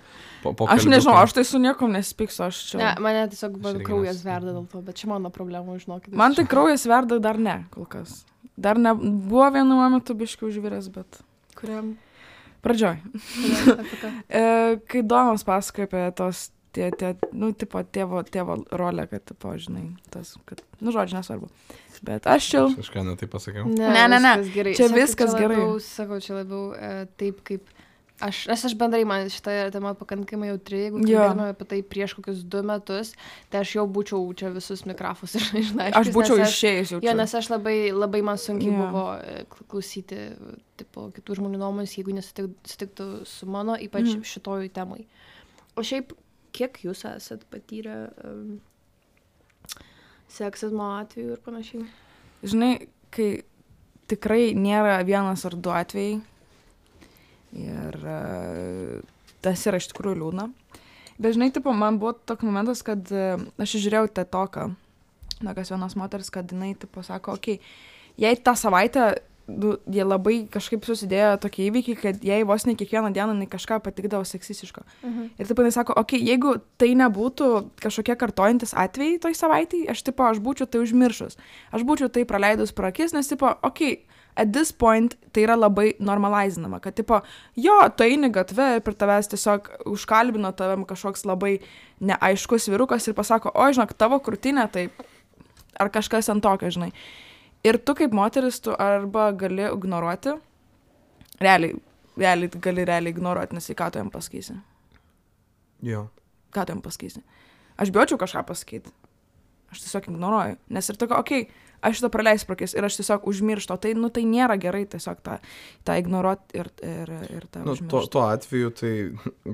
po, po Aš nežinau, aš tai su niekom nesipyksiu, aš čia... Ne, mane tiesiog kraujas verda dėl to, bet čia mano problema, žinokit. Man tai kraujas verda dar ne, kol kas. Dar ne, buvo vienu momentu biškiai užviręs, bet... Kuriam? Pradžioj. e, kai Domas pasakoja apie tos tie, tie, nu, tipo, tėvo, tėvo rolė, kad, tipo, žinai, tas, kad, nu, žodžiu, nesvarbu. Bet aš čia... Kažką netai pasakiau. Ne, Ne, ne, ne. viskas gerai. Čia Sakau, viskas čia gerai. Labiau, sakau, čia labiau e, taip, kaip aš, nes aš bendrai, man šitą temą pakankamai jautri, jeigu Jo. kalbėtume apie tai prieš kokius du metus, tai aš jau būčiau čia visus mikrofus išnaiškius. Aš būčiau išėjęs jau Jo, čia. nes aš labai, labai man sunkiai Jo. buvo e, kl- klausyti tipo, kitų žmonių nuomonės, jeigu nesutiktų su mano, ypač Mhm. šitoj temai. O šiaip, kiek jūs esat patyrę um, seksizmo atveju ir panašiai? Žinai, kai tikrai nėra vienas ar du atvejai ir e, tas yra iš tikrųjų liūdna. Bet žinai, tipo, man buvo toks momentas, kad e, aš žiūrėjau tą toką, tokios vienos moters, kad jinai, tipo, sako, okei, okay, jei tą savaitę, nu, jie labai kažkaip susidėjo tokie įvykiai, kad jai vos ne kiekvieną dieną jinai kažką patikdavo seksistiško. Mhm. Ir taip jinai sako, okei, okay, jeigu tai nebūtų kažkokie kartojantis atvejai toj savaitėj, aš, tipo, aš būčiau tai užmiršus. Aš būčiau tai praleidus pro akis, nes, tipo, okei, okay, at this point tai yra labai normalizinama, kad, tipo, jo, tu eini gatve ir per tavęs tiesiog užkalbino tavim kažkoks labai neaiškus vyrukas ir pasako, o, žinok, tavo krūtinė, tai ar kažkas ant tokio, žinai. Ir tu kaip moteris, tu arba gali ignoruoti, realiai, realiai gali realiai ignoruoti, nes į ką tu jam pasakysi. Jo. Ką tu jam pasakysi? Aš bijočiau kažką pasakyti. Aš tiesiog ignoruoju. Nes ir tokia, okei, okay, aš šitą praleisiu prakis ir aš tiesiog užmirštu. Tai, nu, tai nėra gerai tiesiog tą, tą ignoruoti ir, ir, ir tą Nu, užmiršti. tuo, tuo atveju, tai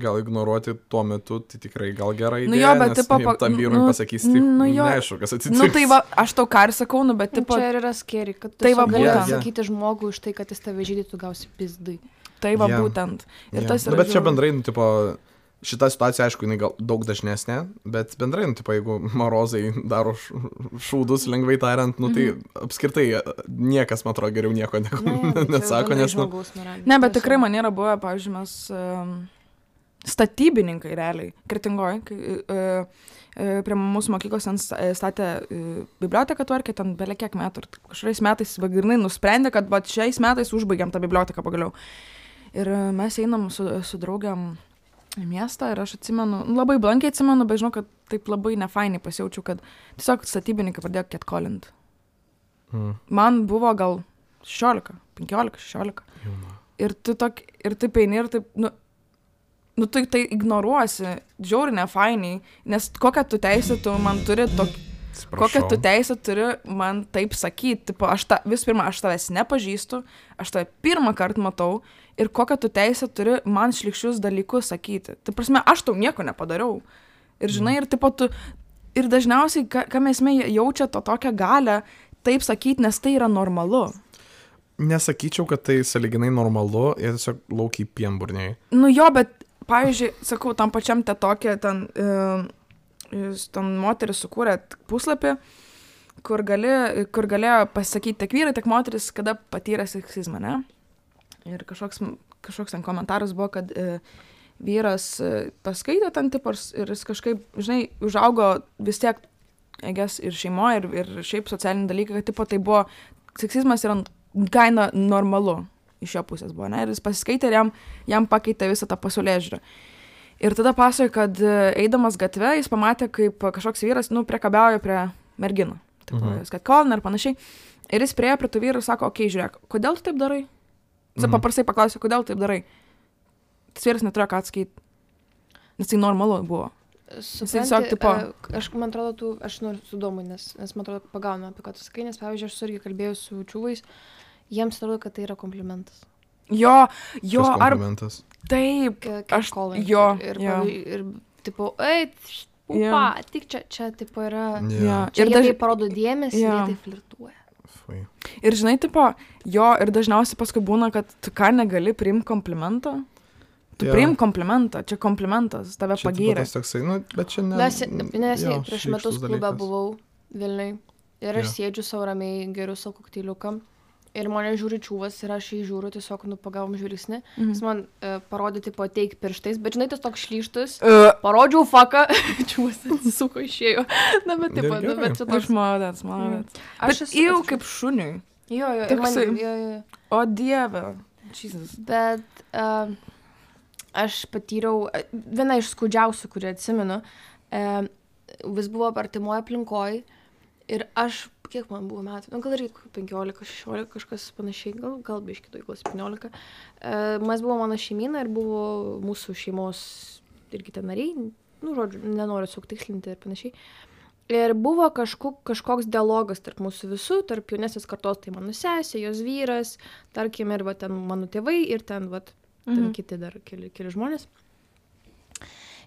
gal ignoruoti tuo metu, tai tikrai gal gerai. Nu jo, bet tipo, pa, tam vyrui nu, pasakys, tai nu jo. neaišku, kas atsitiks. Nu tai va, aš tau ką ir sakau, nu, bet Nu, tipo, čia ir yra skeri, kad tu Tai va, gali būtent. pasakyti žmogui už tai, kad jis tave žydė, tu gausi pizdai. tai va Jo. būtent. Ir Jo. tas Nu, yra bet čia žiauru. bendrai, nu, tipo, šita situacija, aišku, jinai gal daug dažnesnė, bet bendrai, nu, tipo, jeigu marozai daro š- šūdus, lengvai tariant, nu, tai apskritai niekas, man atrodo, geriau nieko ne, nesako, nes, nu, Ne, bet tikrai man yra buvę, pavyzdžiui, mes um, statybininkai realiai, Kretingoj, kai uh, uh, prie mūsų mokyklos ten sta- statė uh, biblioteką tvarkė, ten belia kiek metų. Ir kažkuriais metais vagrinai nusprendė, kad va, šiais metais užbaigiam tą biblioteką pagaliau. Ir uh, mes einam su, su draugiam į miestą ir aš atsimenu, nu, labai blankiai atsimenu, bet žinau, kad taip labai nefainiai pasijaučiau, kad tiesiog statybininkai pradėjo catcallint. mm, Man buvo gal šešiolika, penkiolika, šešiolika. jauna. Ir tu tok, ir taip eini ir taip, nu, nu tu tai ignoruosi, žiauri nefainiai, nes kokią tu teisę tu man turi tokį, kokią tu teisę turi man taip sakyti, tipo, aš ta, vis pirma, aš tavęs nepažįstu, aš tave pirmą kartą matau ir kokią tu teisę turi man šlikščius dalykus sakyti. Tai prasme, aš tau nieko nepadariau. Ir žinai, ir tipo tu, ir dažniausiai, ką, ką mes jaučia to tokią galę, taip sakyti, nes tai yra normalu. Nesakyčiau, kad tai saliginai normalu, jie tiesiog laukiai pienburniai. Nu jo, bet, pavyzdžiui, sakau, tam pačiam te tokia, ten, e, ten moteris sukūrė puslapį, kur, gali, kur galėjo pasakyti tiek vyrai, tiek moteris, kada patyrė seksizmą, ne? Ir kažkoks, kažkoks ten komentaras buvo, kad e, vyras e, paskaitė ten tipars ir jis kažkaip, žinai, užaugo vis tiek, egės, ir šeimoje, ir, ir šiaip socialiniai dalykai, kad tipo tai buvo, seksizmas yra kaina normalu iš jo pusės buvo, ne? Ir jis pasiskaitė ir jam, jam pakeitė visą tą pasaulėžiūrą. Ir tada pasakoja, kad e, eidamas gatve, jis pamatė, kaip kažkoks vyras, nu, priekabiauja prie merginų. Tipo, Mhm. jis kad kolina ir panašiai. Ir jis priejo prie tų vyrų ir sako, okei, okay, žiūrėk, kodėl tu taip darai? Jis Mhm. paprastai paklausė, kodėl taip darai. Tas vyras neturėjo ką atsakyti. Nes tai normalu buvo. Supranti, tiesiog, tipo- e, aš, man atrodo, tu, aš noriu sudomu, nes, nes man atrodo, pagaunu apie ką tu sakai, nes, pavyzdžiui, aš su irgi kalbėjau su čiūvais, jiems atrodo, kad tai yra komplimentas. Jo, jo, Šis ar komplimentas. taip. Ka- Aš- catcalling. jo, ir, jo. pavyzdžiui, ir, tipo, eit, pupa, tik čia, čia, tipo, yra, Jo. Jo. čia Ir jie daž- tai parodo dėmesį, jo. jie tai flirtuoja. Fui. Ir žinai, tipo, jo, ir dažniausiai paskui būna, kad tu ką negali priimti komplimentą. Tu Jo. priim komplimentą, čia komplimentas, tave Čia tipo pagyrė. tas toksai, nu, bet čia ne. Nes, nes jo, prieš šlykštus metus klube dalykas. buvau Vilniui ir aš Jo. sėdžiu savo ramiai, geriu savo kokteiliuką ir mane žiūri čiūvas ir aš jį žiūriu, tiesiog, nu, pagavom žvilgsnį. Mhm. Jis man e, parodė, tipo, teik pirštais, bet žinai, tas toks šlyštus. Uh, Parodžiau faką, čiūvas atsisuko, išėjo. Na, bet, tipo, Ir nu, bet čia aš toks... malodės, malodės. Aš Bet esu- jau aš- kaip šuniui. Jo, jo, ir man, toksai- jo, jo. O dieve. Jesus. Bet uh, aš patyriau, viena iš skaudžiausių, kurį atsimenu, e, vis buvo artimoje aplinkoje ir aš, kiek man buvo metų, nu, gal ir penkiolika, šešiolika, kažkas panašiai, gal, gal biški, gal septyniolika. E, mes buvo mano šeimyna ir buvo mūsų šeimos irgi ten nariai, nu, žodžiu, nenoriu suktikslinti ir panašiai. Ir buvo kažkuk, kažkoks dialogas tarp mūsų visų, tarp jaunesnės kartos, tai mano sesė, jos vyras, tarkim, ir va, ten mano tėvai ir ten, va, ten mhm. kiti dar keli, keli žmonės.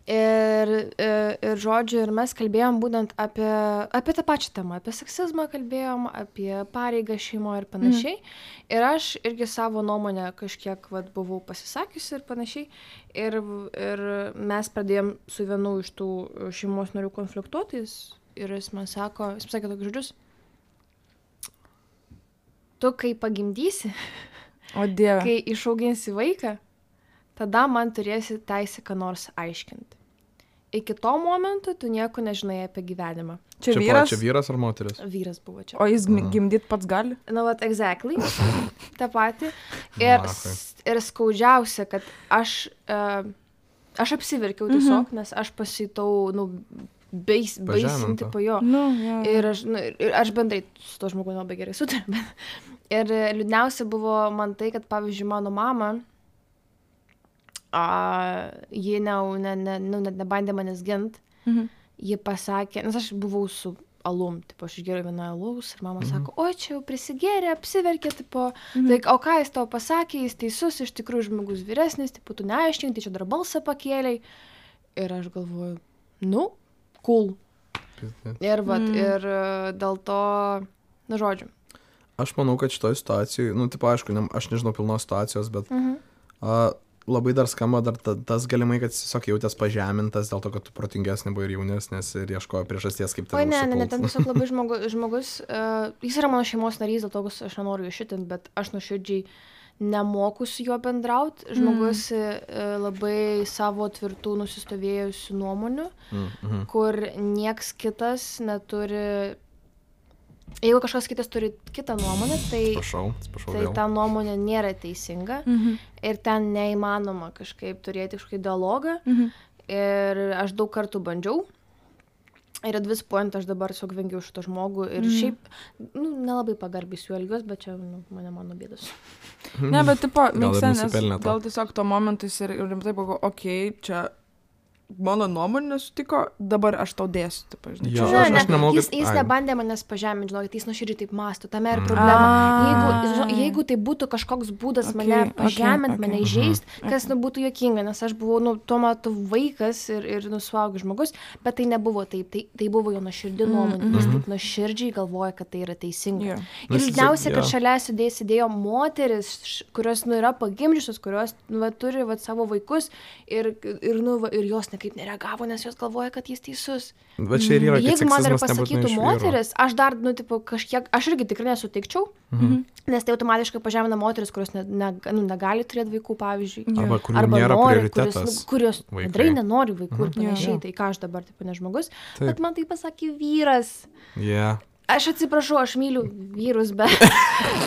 Ir, ir, ir žodžiu, ir mes kalbėjom būtent apie, apie tą pačią temą, apie seksizmą kalbėjom, apie pareigą šeimoje ir panašiai. Mhm. Ir aš irgi savo nuomonę kažkiek vat, buvau pasisakiusi ir panašiai. Ir, ir mes pradėjom su vienu iš tų šeimos narių konfliktuotis. Ir jis man sako, jis pasakė tokius žodžius, tu kai pagimdysi, o Dieve, kai išauginsi vaiką, tada man turėsi teisę ką nors aiškinti. Iki to momento tu nieko nežinai apie gyvenimą. Čia, čia vyras? Čia vyras ar moteris? Vyras buvo čia. O jis mm. gimdyt pats gali? Na, nu, vat, exactly, tą patį. Ir, ir skaudžiausia, kad aš, uh, aš apsiverkiau tiesiog, mm-hmm. nes aš pasitau, nu, Beis, baisinti po jo. Nu, ja. Ir, aš, nu, ir aš bendrai su to žmogumi labai gerai sutariu. Ir liūdniausia buvo man tai, kad, pavyzdžiui, mano mama, a, ji ne, ne, ne, nu, net nebandė manęs gint. Mhm. Ji pasakė, nes aš buvau su alum, tipo, aš išgėriau vieną alaus ir mama mhm. sako, o čia jau prisigėrė, apsiverkė, tipo, mhm. tai, o ką jis tau pasakė, jis teisus, iš tikrųjų žmogus vyresnis, tipo, tu neaiškink, tai čia dar balsą pakėlei. Ir aš galvoju, nu, cool. Ir, vat, mm. ir dėl to, na, žodžiu. Aš manau, kad šitoje situacijoje, nu, tipo, aišku, ne, aš nežinau pilnos situacijos, bet mm-hmm. a, labai dar skamba dar ta, tas galimai, kad tiesiog jautės pažemintas dėl to, kad tu protingesnė buvo ir jaunesnės ir ieškojo priežasties, kaip tai. O ne, ne, ne, ten tiesiog labai žmogu, žmogus, uh, jis yra mano šeimos narys, dėl to aš nenoriu jo šitint, bet aš nuoširdžiai nemoku su juo bendraut. Žmogus mm. labai savo tvirtų nusistovėjusių nuomonių, mm -hmm. kur nieks kitas neturi. Jeigu kažkas kitas turi kitą nuomonę, tai, spašau, spašau tai ta nuomonė nėra teisinga mm-hmm. ir ten neįmanoma kažkaip turėti kažkokį dialogą. Mm-hmm. Ir aš daug kartų bandžiau. Ir at vis point aš dabar tiesiog vengiau šito žmogų ir mm. šiaip, nu, nelabai pagarbiai su juo elgiuos, bet čia, nu, mane mano bėdos. Ne, bet tipo, mėgsta, nes gal tiesiog to momentais ir rimtai pagalvoju, okei, okay, čia mano nuomonė sutiko, dabar aš tau dėsiu, taip, žinai. Jo, ne, aš, ne, aš nemanau, jis, kad... jis nebandė manęs pažeminti, žinokit, jis nuoširdžiai taip mąsto, tame ir problema. Jeigu, jeigu tai būtų kažkoks būdas okay, mane pažeminti, okay, mane okay. įžeisti, mhm. kas nu, būtų juokinga, nes aš buvau, nu, tuo metu vaikas ir, ir nusuaugęs žmogus, bet tai nebuvo taip, tai, tai buvo jo nuoširdį nuomonė, mm -hmm. jis taip nuoširdžiai galvoja, kad tai yra teisinga. Yeah. Ir liūdniausia, kad šalia sudėjo sėdėjo moteris, kurios, nu, yra pagimdžiusios, kurios, nu, va, turi, va, savo vaikus ir, ir, nu, va, ir jos nekaip nereagavo, nes jos galvoja, kad jis teisus. Bet čia ir yra, kad jeigu man dar pasakytų moteris, aš dar, nu, tipo, kažkiek, aš irgi tikrai nesutikčiau, mhm. nes tai automatiškai pažemina moteris, kurios ne, ne, nu, negali turėti vaikų, pavyzdžiui. Arba kurių arba nėra nori, prioritetas. Kurios, nu, kurios bendrai nenori vaikų mhm. ir panašiai, yeah. tai ką aš dabar, taip, ne žmogus. Taip. Bet man tai pasakė vyras. Yeah. Aš atsiprašau, aš myliu vyrus, bet,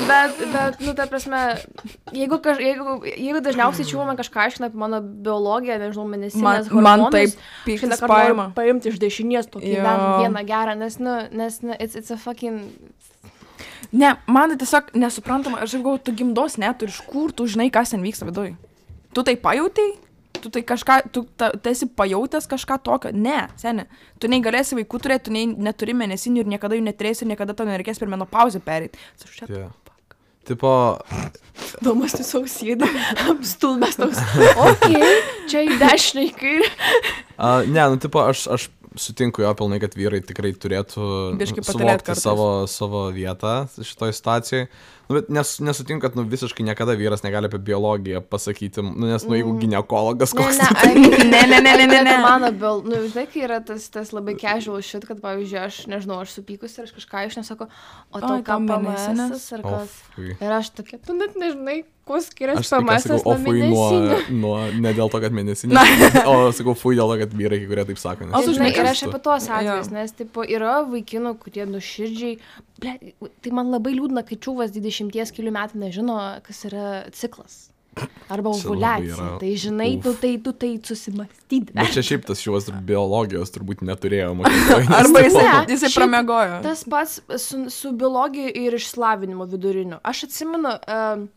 bet, bet, nu, ta prasme, jeigu, kaž, jeigu, jeigu dažniausiai čiūva man kažką aiškina apie mano biologiją, nežinau, mėnesinės hormonus, man taip pyktis paima. Paimti iš dešinės tokį vieną gerą, nes, nu, nes, nu, it's, it's a fucking... Ne, man tai tiesiog nesuprantama, aš galvoju, tu gimdos neturi, iš kur tu žinai, kas ten vyksta viduj. Tu tai pajautai? Tu tai kažką, tu ta, esi pajautęs kažką tokio? Ne, seni. Tu negalėsi vaikų turėti, tu nei, neturi mėnesinių ir niekada jų neturėsi ir niekada tau nereikės per menopauzę pereiti. Yeah. Tipo... Domas tiesiog sėdi, apstulbęs toks, okei, okay, čia į dešinę į kairę. Uh, ne, nu, tipo, aš, aš sutinku jo pilnai, kad vyrai tikrai turėtų suvokti savo, savo vietą šitoj situacijai. Nu, bet nes, nesutinku, kad nu, visiškai niekada vyras negali apie biologiją pasakyti, nu, nes, nu, jeigu ginekologas koks... Ne, ne, ne, ne, ne, ne, ne. Mano, bil, nu, žinai, kai yra tas, tas labai casual shit, kad, pavyzdžiui, aš, nežinau, aš supykus ir aš kažką iš nesako, o tau ką P M S ar kas. Ir aš tokia, tu net nežinai, kuo skiriasi P M S nuo mėnesinių. Nuo, ne dėl to, kad mėnesinių, o sakau, fui dėl to, kad vyrai, kurie taip sako. O, žinai, ir aš apie tuos atvejus, nes, tipo, yra vaikinų, kurie nuširdžiai, ble, tai man labai liūdna, kai čiūvas dvidešimties kelių metų nežino, kas yra ciklas. Arba Čia labai ovuliacija. yra- Tai žinai, Uf. tu tai, tu tai susimastyti. Bet čia šiaip tas šios biologijos turbūt neturėjo mokykloje. nes Arba tipo- jisai, Ne, jisai šiaip pramiegojo. Tas pats su, su biologija ir išsilavinimu viduriniu. Aš atsimenu, um,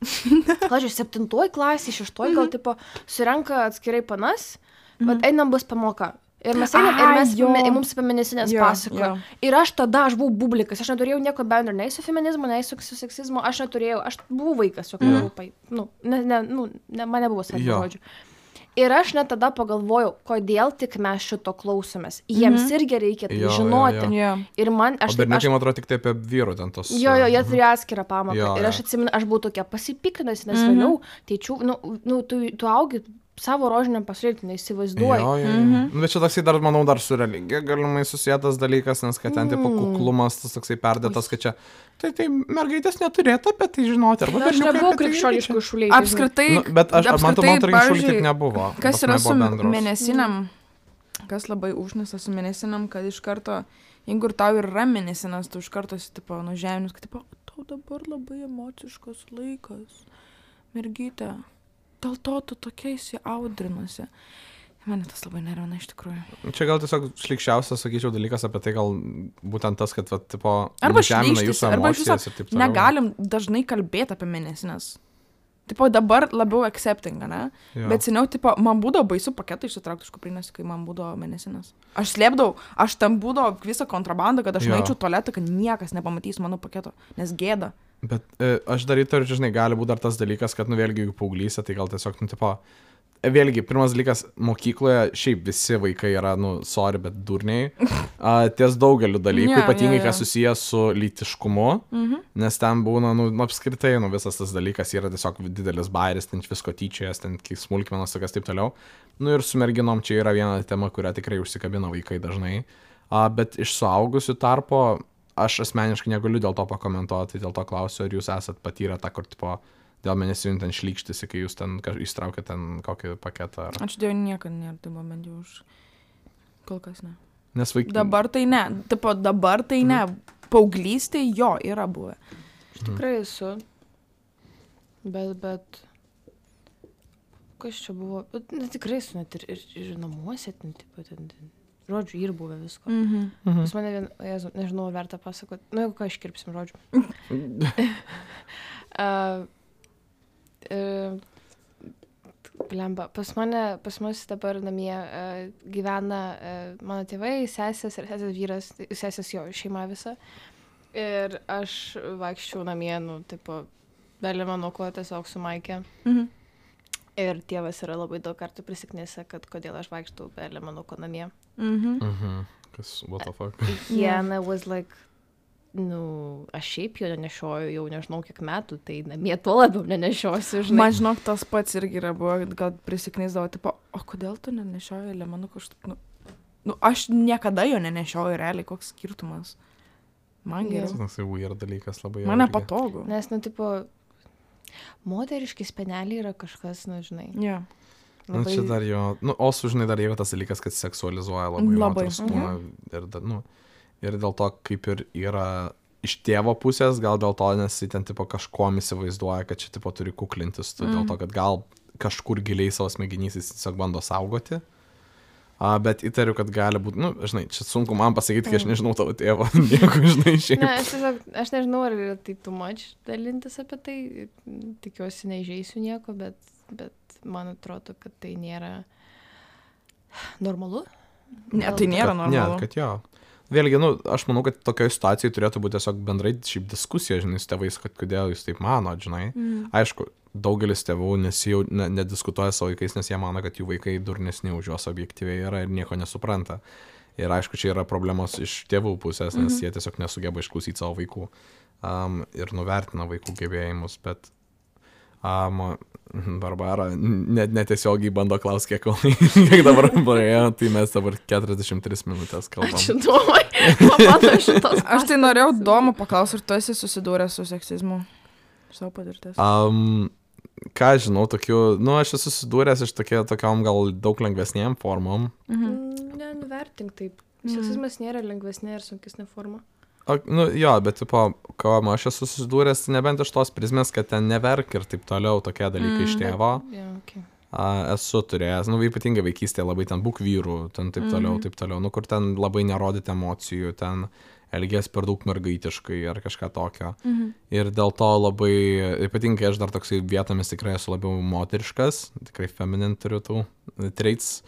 klažiu, septintoji klasė, šeštoji gal tipo, surenka atskirai panas, bet einam bus pamoka. Ir mes einam, ir Ai, mes, jo. me, mums feministinės Jo, pasakojo. jo. Ir aš tada, aš buvau bublikas, aš neturėjau nieko bendro, nei su feminizmu, nei su, su seksizmu, aš neturėjau, aš buvau vaikas, jo, Jo. mm. nu, ne, ne, nu, ne, man nebuvo svarbu Jo. žodžių. Ir aš net tada pagalvojau, kodėl tik mes šito klausomės. Jiems Mhm. irgi reikia tai Jo, jo, žinoti. jo. Jo. Ir man, O aš, berniukai, aš man atrodo, tik tai apie vyrų ten tos. Jo, jo, jie turėjo atskirą pamoką. Jo, Ir jo. aš atsimenu, aš buvau tokia pasipiktinusi, nes Mhm. vėliau, tėčių, nu, nu tu, tu augi savo rožiniam pasirinkti, neįsivaizduoji. Jo, jo, jo. Mhm. Nu, bet čia toksai dar, manau, dar su religija galimai susijęs dalykas, nes kad ten tipo Mm. kuklumas, tas toksai perdėtas, kad čia, tai, tai mergaitės neturėtų apie tai žinoti. Arba Na, aš berniukai nebuvau apie tai irgi krikščioniškų čia- šuliai. Apskritai, Nu, bet aš, man to, man atrodo, iki šiol taip pavyzdžiui, nebuvo. kas Pas yra mane su buvo bendros. mėnesinam, kas labai užnisa su mėnesinam, kad iš karto, jeigu ir tau yra mėnesinas, tu iš karto esi, tipo, nužeminius, kad, tipo, tau dabar labai emociškas laikas, mergytė, dėl to tu tokia įsiaudrinusi. Mane tas labai nervina iš tikrųjų. Čia gal tiesiog šlikščiausias, sakyčiau, dalykas apie tai, gal būtent tas, kad, va, tipo, Arba nužemina šlykštisi, jūsų arba iš viso emocijas ir taip toliau. Negalim dažnai kalbėti apie mėnesinas. Tipo, dabar labiau accepting, ne? Jo. Bet seniau, tipo, man būdavo baisu paketą išsitraukti iš kuprinės, kai man būdavo mėnesinas. Aš slėpdavau, aš tam būdavo visą kontrabandą, kad aš Jo. nueičiau tualetą, kad niekas nepamatys mano paketo, nes gėda. Bet e, aš dar įtariu, žinai, gali būti dar tas dalykas, kad, nu, vėlgi, jeigu paauglysė, tai gal tiesiog, nu, tipo, e, vėlgi, pirmas dalykas, mokykloje šiaip visi vaikai yra, nu, sorry, bet durniai, a, ties daugeliu dalykų, Jo, ypatingai, jo, jo. kas susijęs su lytiškumu, Mhm. nes ten būna, nu, apskritai, nu, visas tas dalykas yra tiesiog didelis bairis, ten visko tyčiojas, ten smulkmenos, tokias taip toliau. Nu, ir su merginom čia yra viena tema, kurią tikrai užsikabina vaikai dažnai, a, bet iš suaugusių tarpo, aš asmeniškai negaliu dėl to pakomentuoti, dėl to klausiu, ar jūs esat patyrę tą, kur, tipo, dėl mėnesių ten šlykštisi, kai jūs ten įstraukėte ten kokį paketą. Ar... Aš dėjau niekada nėra, tai buvo bent jau už kol kas ne. Nes vaikai... Dabar tai ne, tipo, dabar tai ne. Paauglystėje jo yra buvę. Aš tikrai esu. Bet, bet. Kas čia buvo? Bet, na, tikrai esu net ir, ir, ir namuose, ten, tipo, ten, ten. Žodžiu, ir buvę visko. Mhm. Mhm. Pas mane vien, jezu, nežinau, ar verta pasakoti. Nu, jeigu ką iškirpsim žodžiu. uh, uh, Blemba, pas mane, pas mus dabar namie uh, gyvena uh, mano tėvai, sesės ir sesės vyras, tai sesės jo šeima visa. Ir aš vaikščiau namie, nu, tipo, belė mano ko tiesiog su Maike. Mhm. Ir tėvas yra labai daug kartų prisiknėse, kad kodėl aš vaikštau belė mano ko namie. Mhm. Mhm. Kas, what the fuck? Yeah, and I was like, nu, aš šiaip jo nenešioju jau nežinau kiek metų, tai namie tuo labiau nenešiosiu, žinai. Man žinok, tas pats irgi yra buvo, kad prisiknysdavo, tipo, o kodėl tu nenešioji lemanų kažkaip, nu, nu, aš niekada jo nenešioju realiai, koks skirtumas. Man Jo. geriau. Tas tai weird dalykas labai. Man irgi. nepatogu. Nes, nu, tipo, moteriški speneliai yra kažkas, nu, žinai. Jo. Nu, čia dar jo, nu, o su, žinai, dar yra tas dalykas, kad seksualizuoja labai, Labai. moters kūną. Ir, da- nu, ir dėl to, kaip ir yra iš tėvo pusės, gal dėl to, nes jis ten tipo kažkuom įsivaizduoja, kad čia tipo turi kuklintis, tu, dėl to, kad gal kažkur giliai savo smegenys jis tiesiog bando saugoti. A, bet įtariu, kad gali būti, nu, žinai, čia sunku man pasakyti, kai aš nežinau tavo tėvo, nieko, žinai, šiaip. Ne, aš tiesiog, aš nežinau, ar yra tai too much dalintis apie tai, tikiuosi neįžeisiu nieko, bet, bet man atrodo, kad tai nėra normalu. Ne, tai nėra Ne, normalu. kad jo. Vėlgi, nu, aš manau, kad tokioje situacijoje turėtų būti tiesiog bendrai šiaip diskusija, žinai, su tėvais, kad kodėl jūs taip manot, žinai. Mm. Aišku, daugelis tėvų nesijau, ne, nediskutuoja savo vaikais, nes jie mano, kad jų vaikai durnesni už juos objektyviai yra ir nieko nesupranta. Ir aišku, čia yra problemos iš tėvų pusės, nes Mhm. jie tiesiog nesugeba išklausyti savo vaikų um, ir nuvertina vaikų gebėjimus, bet um, Barbara net netiesiogiai bando klausti, kiek, kiek dabar praėjo, tai mes dabar keturiasdešimt tris minutės kalbam. Ačiū, Domai. Pamatau šitos. Aš tai norėjau Domo paklausti, ar tu esi susidūręs su seksizmu? Iš savo patirties. Um, ką žinau, tokių, nu, aš esu susidūręs iš tokia, tokiom gal daug lengvesniem formom. Mhm. Mm, ne, nuvertink taip. Seksizmas nėra lengvesnė ir sunkesnė forma. O, nu, jo, bet, tipo, ką aš esu susidūręs, nebent iš tos prizmės, kad ten neverk ir taip toliau, tokie dalykai mm, iš tėvo. Yeah, okay. A, esu turėjęs, nu, ypatingai vaikystėje labai ten būk vyrų, ten taip toliau, mm. taip toliau, nu, kur ten labai nerodyti emocijų, ten elgės per daug mergaitiškai ar kažką tokio. Mhm. Ir dėl to labai, ypatingai aš dar toksai vietomis tikrai esu labiau moteriškas, tikrai feminine turiu tų traits.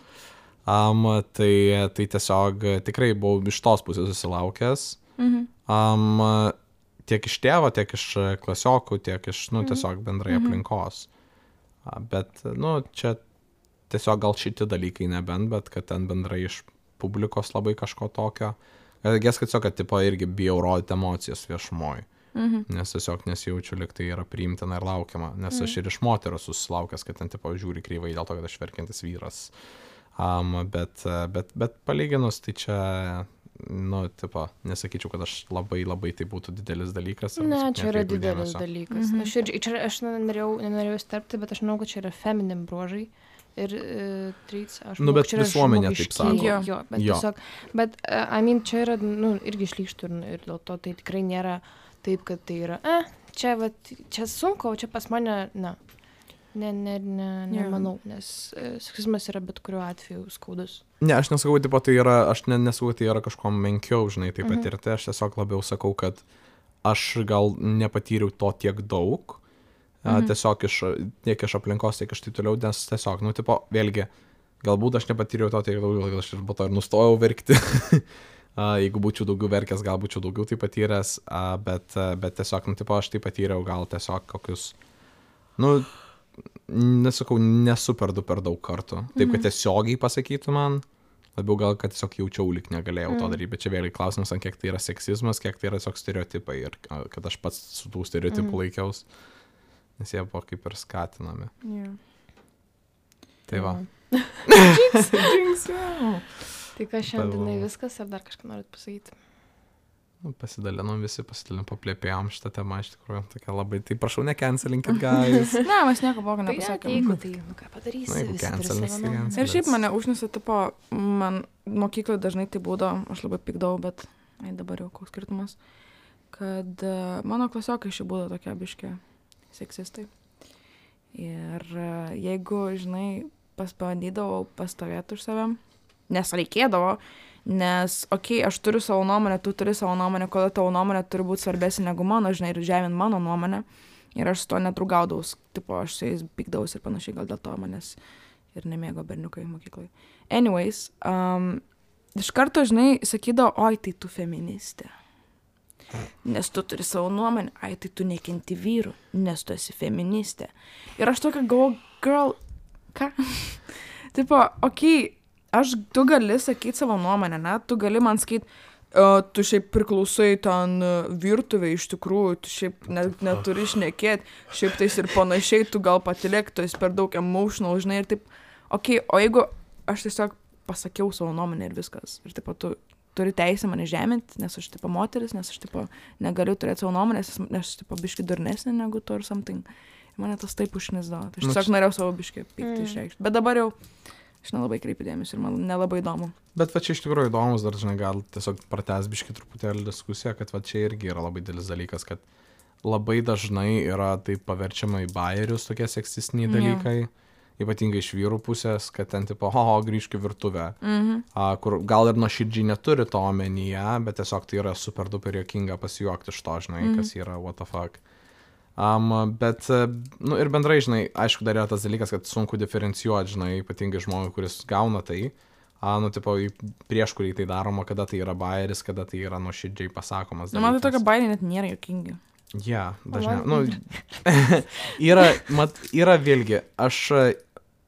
Um, tai, tai tiesiog tikrai buvau iš tos pusės susilaukęs. Mhm. Um, tiek iš tėvo, tiek iš klasiokų, tiek iš, nu, tiesiog bendrai Mhm. aplinkos. A, bet, nu, čia tiesiog gal šitie dalykai nebent, bet kad ten bendrai iš publikos labai kažko tokio. Gės, kad tiesiog, kad tipo irgi bijau rodyti emocijas viešumoj. Mhm. Nes tiesiog nesijaučiu, lyg tai yra priimtina ir laukiama. Nes aš ir iš moterų susilaukęs, kad ten tipo žiūri kryvai dėl to, kad aš verkiantis vyras. Um, bet, bet, bet palyginus, tai čia, nu, tipo, nesakyčiau, kad aš labai, labai tai būtų didelis dalykas. Ne, čia yra didelis dalykas. Mhm. Aš, ir, čia, aš nenorėjau, nenorėjau starpti, bet aš manau, kad čia yra feminim bruožai. Ir uh, traits, aš Nu, manau, bet čia yra visuomenė taip sako. žmogiškieji. Jo, bet Jo. tiesiog, bet, uh, I mean, čia yra, nu, irgi šlykštų ir, ir dėl to tai tikrai nėra taip, kad tai yra, eh, čia, vat, čia sunku, o čia pas mane, na, ne, ne, ne, nemanau, nes uh, seksizmas yra bet kuriuo atveju skaudus. Ne, aš nesakau, tipo, tai yra, aš ne, nesakau, tai yra kažko menkiau, žinai, taip Mhm. patirti. Aš tiesiog labiau sakau, kad aš gal nepatyriau to tiek daug. A, Mhm. tiesiog iš, tiek iš aplinkos, tiek iš tai toliau, nes tiesiog, nu, tipo, vėlgi, galbūt aš nepatyriau to tiek daug, gal aš ir po to ir nustojau verkti. A, jeigu būčiau daugiau verkęs, gal būčiau daugiau tai patyręs, a, bet, bet tiesiog, nu, tipo, aš tai patyriau gal tiesiog kokius, nu, nesakau, nesu per du per daug kartų. Taip, kad tiesiogiai pasakytų man, labiau gal, kad tiesiog jaučiau, lyg negalėjau to daryti, bet čia vėlgi klausimas, ant kiek tai yra seksizmas, kiek tai yra tiesiog stereotipai ir a, kad aš pats su tų stereotipų Mhm. laikiaus, nes jie buvo kaip ir skatinami. Yeah. Tai va. Jinx, yeah. Tai ką šiandienai Tavo- viskas, ar dar kažką norit pasakyti? Nu, pasidalinom visi, pasidalinom, paplėpėjom šitą temą, iš tikrųjų, tokia labai, tai prašau, necancelinkit, guys. Ne, mes nieko blogo Tai nepasakėm. jeigu tai, nu ką padarysi, Na, jeigu visi turi cancelins, savo tai nuomonę. cancel. Ir šiaip mane užnisa, tipo, man mokykloje dažnai tai būdavo, aš labai pykdavau, bet, ai dabar jau koks skirtumas, kad uh, mano klasiokai šiaip būdavo tokie biški seksistai. Ir uh, jeigu, žinai, pasbandydavau pastovėti už savim, nes reikėdavo, nes, okei, okay, aš turiu savo nuomonę, tu turi savo nuomonę, kodėl tavo nuomonė turi būti svarbesnė negu mano, žinai, ir žemint mano nuomonę. Ir aš su to nedraugaudaus, tipo, aš su jais pykdaus ir panašiai, gal dėl to manęs ir nemėgo berniukai mokykloje. Anyways, um, iš karto, žinai, sakydavo, oi, tai tu feministė. Nes tu turi savo nuomonę, ai, tai tu nekenti vyrų, nes tu esi feministė. Ir aš tokia galvoju, girl, ką? Tipo, okei, okay, aš, tu gali sakyti savo nuomonę, ne? Tu gali man sakyti, uh, tu šiaip priklausai ten uh, virtuvė iš tikrųjų, tu šiaip net, neturi šnekėti, šiaip tais ir panašiai, tu gal patilėk, tu esi per daug emotional, žinai, ir taip, okei, okay, o jeigu aš tiesiog pasakiau savo nuomonę ir viskas, ir taip, tu turi teisę mane žeminti, nes aš tipo moteris, nes aš tipo negaliu turėti savo nuomonės, nes aš tipo biški durnesnė negu tu or something. Ir mane tas taip užknisdavo. Tai aš tiesiog norėjau savo biški pyktį Mm. išreikšti. Bet dabar jau aš nelabai kreipiu dėmesį ir man nelabai įdomu. Bet va čia iš tikrųjų įdomus, dar žinai, gal tiesiog pratęs biški truputėlį diskusiją, kad va čia irgi yra labai didelis dalykas, kad labai dažnai yra taip paverčiama į bajerius tokie seksistiniai Jo. dalykai, ypatingai iš vyrų pusės, kad ten tipo, ho, grįžk į virtuvę, Mhm. a, kur gal ir nuoširdžiai neturi to omenyje, bet tiesiog tai yra super duper juokinga pasijuokti iš to, žinai, Mhm. kas yra what the fuck. Um, bet, e, nu ir bendrai, žinai, aišku, dar yra tas dalykas, kad sunku diferencijuoti, žinai, ypatingai žmogui, kuris gauna tai, a, nu, tipo, į- prieš kurį tai daroma, kada tai yra bajeris, kada tai yra nuoširdžiai pasakomas. Nu, man tai dalykas. tokia bairė net nėra jokingi. Ja, dažniausiai. man- Nu, yra, mat, yra vėlgi, aš e,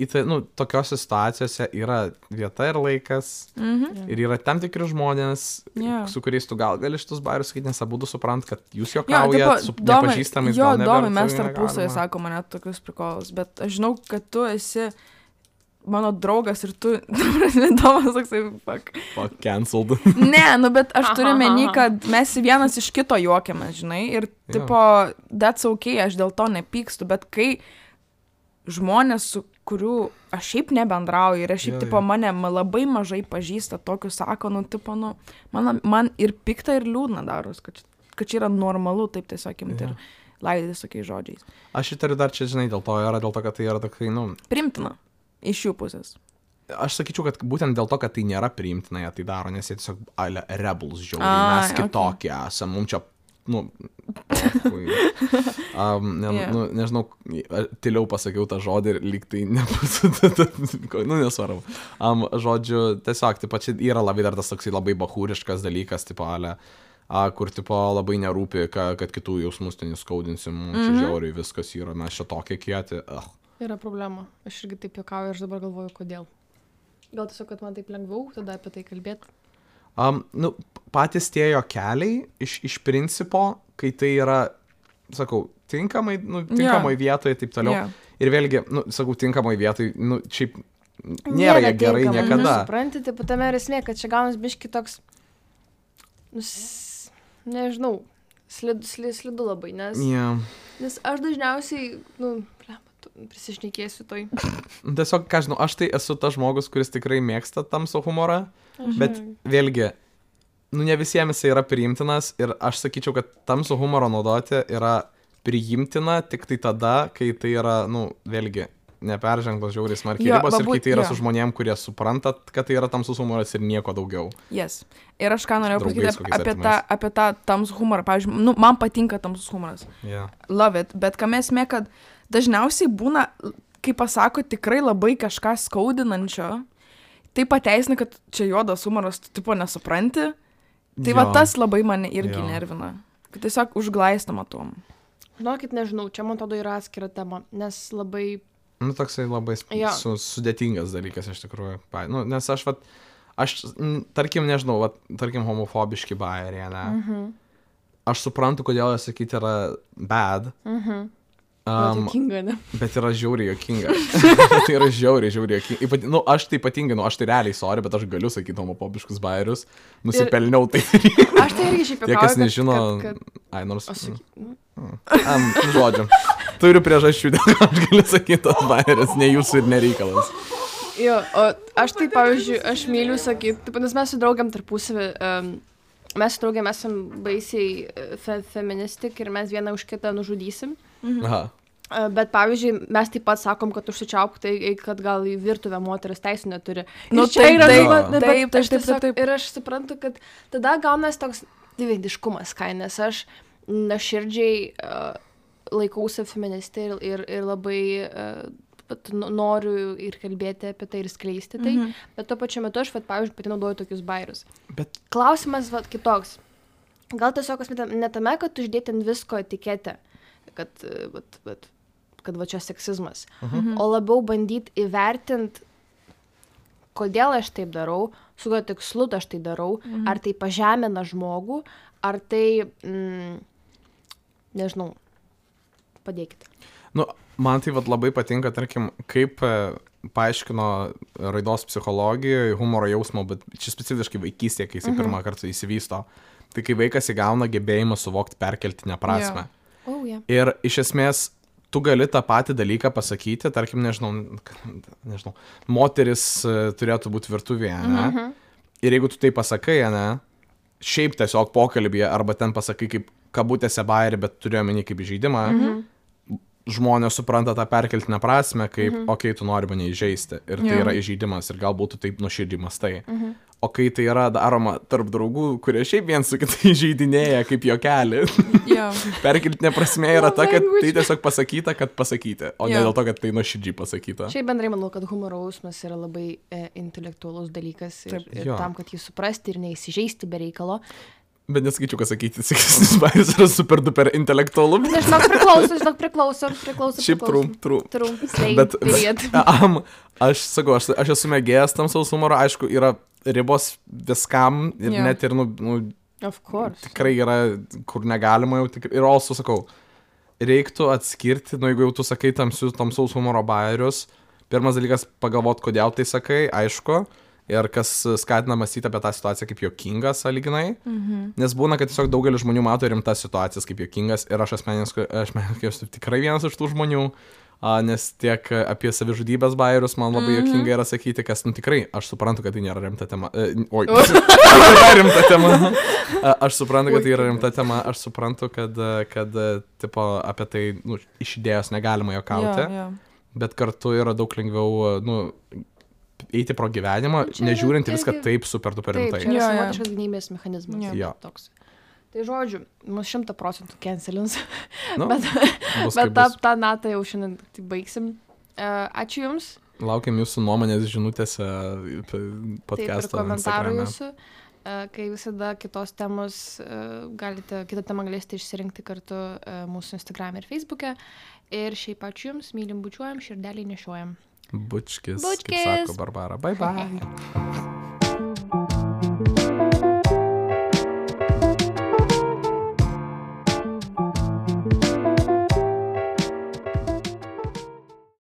į tai, nu, tokiose situacijose yra vieta ir laikas, Mhm. ir yra tam tikri žmonės, Jo. su kuriais tu gal gali šitus bairius sakyti, nes abudu suprant, kad jūs Jo, juokaujat, tipo, su domai- nepažįstamais. Jo, gal domai, neverta, mes tai tarpusavį negalima. sako mane tokius prikolus, bet aš žinau, kad tu esi mano draugas ir tu, domas toksai, fuck. Fuck, cancelled. Ne, nu, bet aš turiu Aha, meni, aha. kad mes vienas iš kito juokiamės, žinai, ir, Jo. tipo, that's okay, aš dėl to nepykstu, bet kai žmonės, su kurių aš šiaip nebendrauju ir aš šiaip, Jo, tipo, jo. mane ma- labai mažai pažįsta, tokius sako, nu, tipo, nu, man, man ir pikta, ir liūdna daros, kad, kad čia yra normalu taip tiesiog imti Jo. ir laidyti tokiais žodžiais. Aš įtariu dar čia, žinai, dėl to yra, dėl to, kad tai yra tokai, nu, Primtina iš jų pusės. aš sakyčiau, kad būtent dėl to, kad tai nėra priimtina, jie tai daro, nes jie tiesiog ale rebels žiauriai, Ai, mes kitokie okay. esame, mums čia, nu, pochui. um, ne, Jo. yeah. nu, nežinau, tyliau pasakiau tą žodį ir lyg tai nebūtų, nu, nesvarbu. Um, žodžiu, tiesiog, tipo, čia yra labai dar tas toksai labai bahūriškas dalykas, tipo, ale, a, kur, tipo, labai nerūpi, ka, kad kitų jausmus ten įskaudinsim, mums čia Mhm. žiauriai viskas yra, mes čia tokie kieti. Uh. Yra problema. Aš irgi taip juokauju ir aš dabar galvoju, kodėl. Gal tiesiog, kad man taip lengviau tada apie tai kalbėti. Um, nu, patys tie jo keliai iš, iš principo, kai tai yra, sakau, tinkamai, nu, tinkamai vietoje ir taip toliau. Jo. Ir vėlgi, nu, sakau, tinkamai vietoje, nu, šiaip nėra jie gerai tinkama, niekada. Nu, supranti, taip pat tame ir esmė, kad čia gaunas biški toks, nu, s- nežinau, slidu, slidu, slidu labai, nes, Yeah. nes aš dažniausiai, nu, blemba, tu- prisišnekėsiu toj. Tiesiog, ką žinau, aš tai esu tas žmogus, kuris tikrai mėgsta tamsų humorą, Aš- bet vėlgi, nu, ne visiems jisai yra priimtinas ir aš sakyčiau, kad tamsų humorą naudoti yra priimtina tik tai tada, kai tai yra, nu, vėlgi, neperžengtos žiauriai smarkiai Jo, ribos va ir kai būt- tai yra jo. su žmonėm, kurie supranta, kad tai yra tamsus humoras ir nieko daugiau. Yes. Ir aš ką norėjau Draugais pasakyti kokiais apie tą, artimais. apie tą tamsų humorą. Pavyzdžiui, nu, man patinka tamsus humoras. Yeah. Love it. Bet kam esmė, kad dažniausiai būna, kai pasako tikrai labai kažką skaudinančio, tai pateisina, kad čia juodas humoras, tu tipo nesupranti. Tai va Jo. tas labai mane irgi Jo. nervina. Kad tiesiog užglaistama tom. Žinokit, nežinau, čia man atrodo yra atskira tema, nes labai, Nu, toksai labai sp- Jo. su, sudėtingas dalykas iš tikrųjų. Pa- Nu, nes aš, vat, aš, n- tarkim, nežinau, vat, tarkim, homofobiški bajeriai, ne? mhm, Aš suprantu, kodėl jie sakyti yra bad, mhm, um, juokinga, ne? bet yra žiauriai jokinga. Tai yra žiauriai, žiauriai jokinga. Ypat, nu, aš tai ypatingai, nu, aš tai realiai sorry, bet aš galiu sakyti homofobiškus bajerius. Nusipelniau tai. Aš tai irgi šiaip Tie, juokauju, kas kad- nežino, kad- kad- ai, nors... Aš saky- nu, Um, žodžiu. Turiu priežasčių, dėl ko aš galiu sakyti tos bajerius, ne jūsų ir nereikalas. Jo, o aš tai, pavyzdžiui, aš myliu sakyti, taip, nes mes su draugiam tarpusavį, um, mes su draugiam esam baisiai e, fe, feministik ir mes vieną už kitą nužudysim. Aha. E, Bet, pavyzdžiui, mes taip pat sakom, kad užsičiaupk, tai kad gal į virtuvę moteris teisų neturi. Nu, Ir čia taip, yra, taip, bet- bet taip, taip, aš taip, tiesiog- taip. Ir aš suprantu, kad tada gaunas toks dviveidiškumas, kai, nes aš nuoširdžiai uh, laikausi feministė ir, ir, ir labai uh, vat no- noriu ir kalbėti apie tai ir skleisti tai, Mhm. bet tuo pačiu metu aš, vat, pavyzdžiui, pati naudoju tokius bairius. Bet Klausimas vat, kitoks. Gal tiesiog esmė ne tame, kad uždėti ant visko etiketę, kad, uh, vat, vat, kad va čia seksizmas, Mhm. o labiau bandyti įvertinti, kodėl aš taip darau, su kokiu tikslu aš tai darau, Mhm. ar tai pažemina žmogų, ar tai, mm, nežinau, padėkite. Nu, man tai vat labai patinka, tarkim, kaip e, paaiškino raidos psichologijoje humoro jausmo, bet čia specifiškai vaikystėje, kai jis Mhm. pirmą kartą įsivysto. Tai kai vaikas įgauna gebėjimą suvokti perkeltinę prasme. O, oh, yeah. Ir iš esmės tu gali tą patį dalyką pasakyti, tarkim, nežinau, nežinau moteris e, turėtų būti virtuvėje, ne? Mhm. Ir jeigu tu tai pasakai, ne, šiaip tiesiog pokalbėje, arba ten pasakai kaip kabutėse bairį, bet turiu omeny kaip žaidimą, Mhm. žmonės supranta tą perkeltinę prasme, kaip, Mhm. okei, okay, tu nori mane įžeisti. Ir tai Jo. yra įžeidimas ir galbūt tu taip nuoširdžiai mastai. Mhm. O kai tai yra daroma tarp draugų, kurie šiaip viens su kitai žaidinėja kaip juokelį, Jo. perkeltinė prasme yra ta, kad Language. tai tiesiog pasakyta, kad pasakyti, o ne Jo. dėl to, kad tai nuoširdžiai pasakyta. Šiaip bendrai manau, kad humoro jausmas yra labai e, intelektualus dalykas ir, Taip. ir Jo. tam, kad jį suprasti ir neįsižeisti be reikalo. Bet nesakyčiau, kad sakyti, seksistinis bairis yra super duper intelektualu. Na, žinok, priklauso, žinok, priklauso, priklauso. Šiaip trūm, trūm. Trūm, slay, Bet- period. Am, aš sakau, aš, aš esu mėgėjas tamsaus humoro, aišku, yra ribos viskam ir Jo. net ir, nu, nu, Of course. tikrai yra, kur negalima jau tikrai. Ir also sakau, reiktų atskirti, nu, jeigu jau tu sakai tamsius, tamsaus humoro bairius, pirmas dalykas pagalvoti, kodėl tai sakai, aišku, ir kas skatina mąstyti apie tą situaciją kaip juokingas, sąlyginai. Mhm. Nes būna, kad tiesiog daugelis žmonių mato rimtas situacijas kaip juokingas ir aš asmeniškai, aš asmeniškai esu tikrai vienas iš tų žmonių. A, nes tiek apie savižudybės bairius man labai mm-hmm. jokinga yra sakyti, kas, nu tikrai, aš suprantu, kad tai nėra rimta tema. E, oi, tai rimta tema. Aš suprantu, kad tai yra rimta tema, aš suprantu, kad, kad tipo, apie tai nu, iš idėjos negalima jokauti, Jo, jo. bet kartu yra daug lengviau, nu, eiti pro gyvenimą, Čia yra nežiūrint į viską irgi- taip super duper Taip, rimtai. čia yra Jo, jo. savotiškas gynybės mechanizmas. Jo. Jo. Toks. Tai žodžiu, mus šimta procentų cancelins, Nu, bet, bus bet kaip tą, bus. tą natą jau šiandien tai baigsim. Uh, ačiū Jums. Laukiam jūsų nuomonės žinutėse Taip, ir podcast'o komentarų Instagrame. jūsų. Uh, kai visada kitos temos, uh, galite, kitą temą galėsite išsirinkti kartu uh, mūsų Instagram ir Facebook'e. Ir šiaip ačiū Jums, mylim, bučiuojam, širdelį nešiojam. Bučkis, Bučkis. kaip sako Barbara. Bye bye.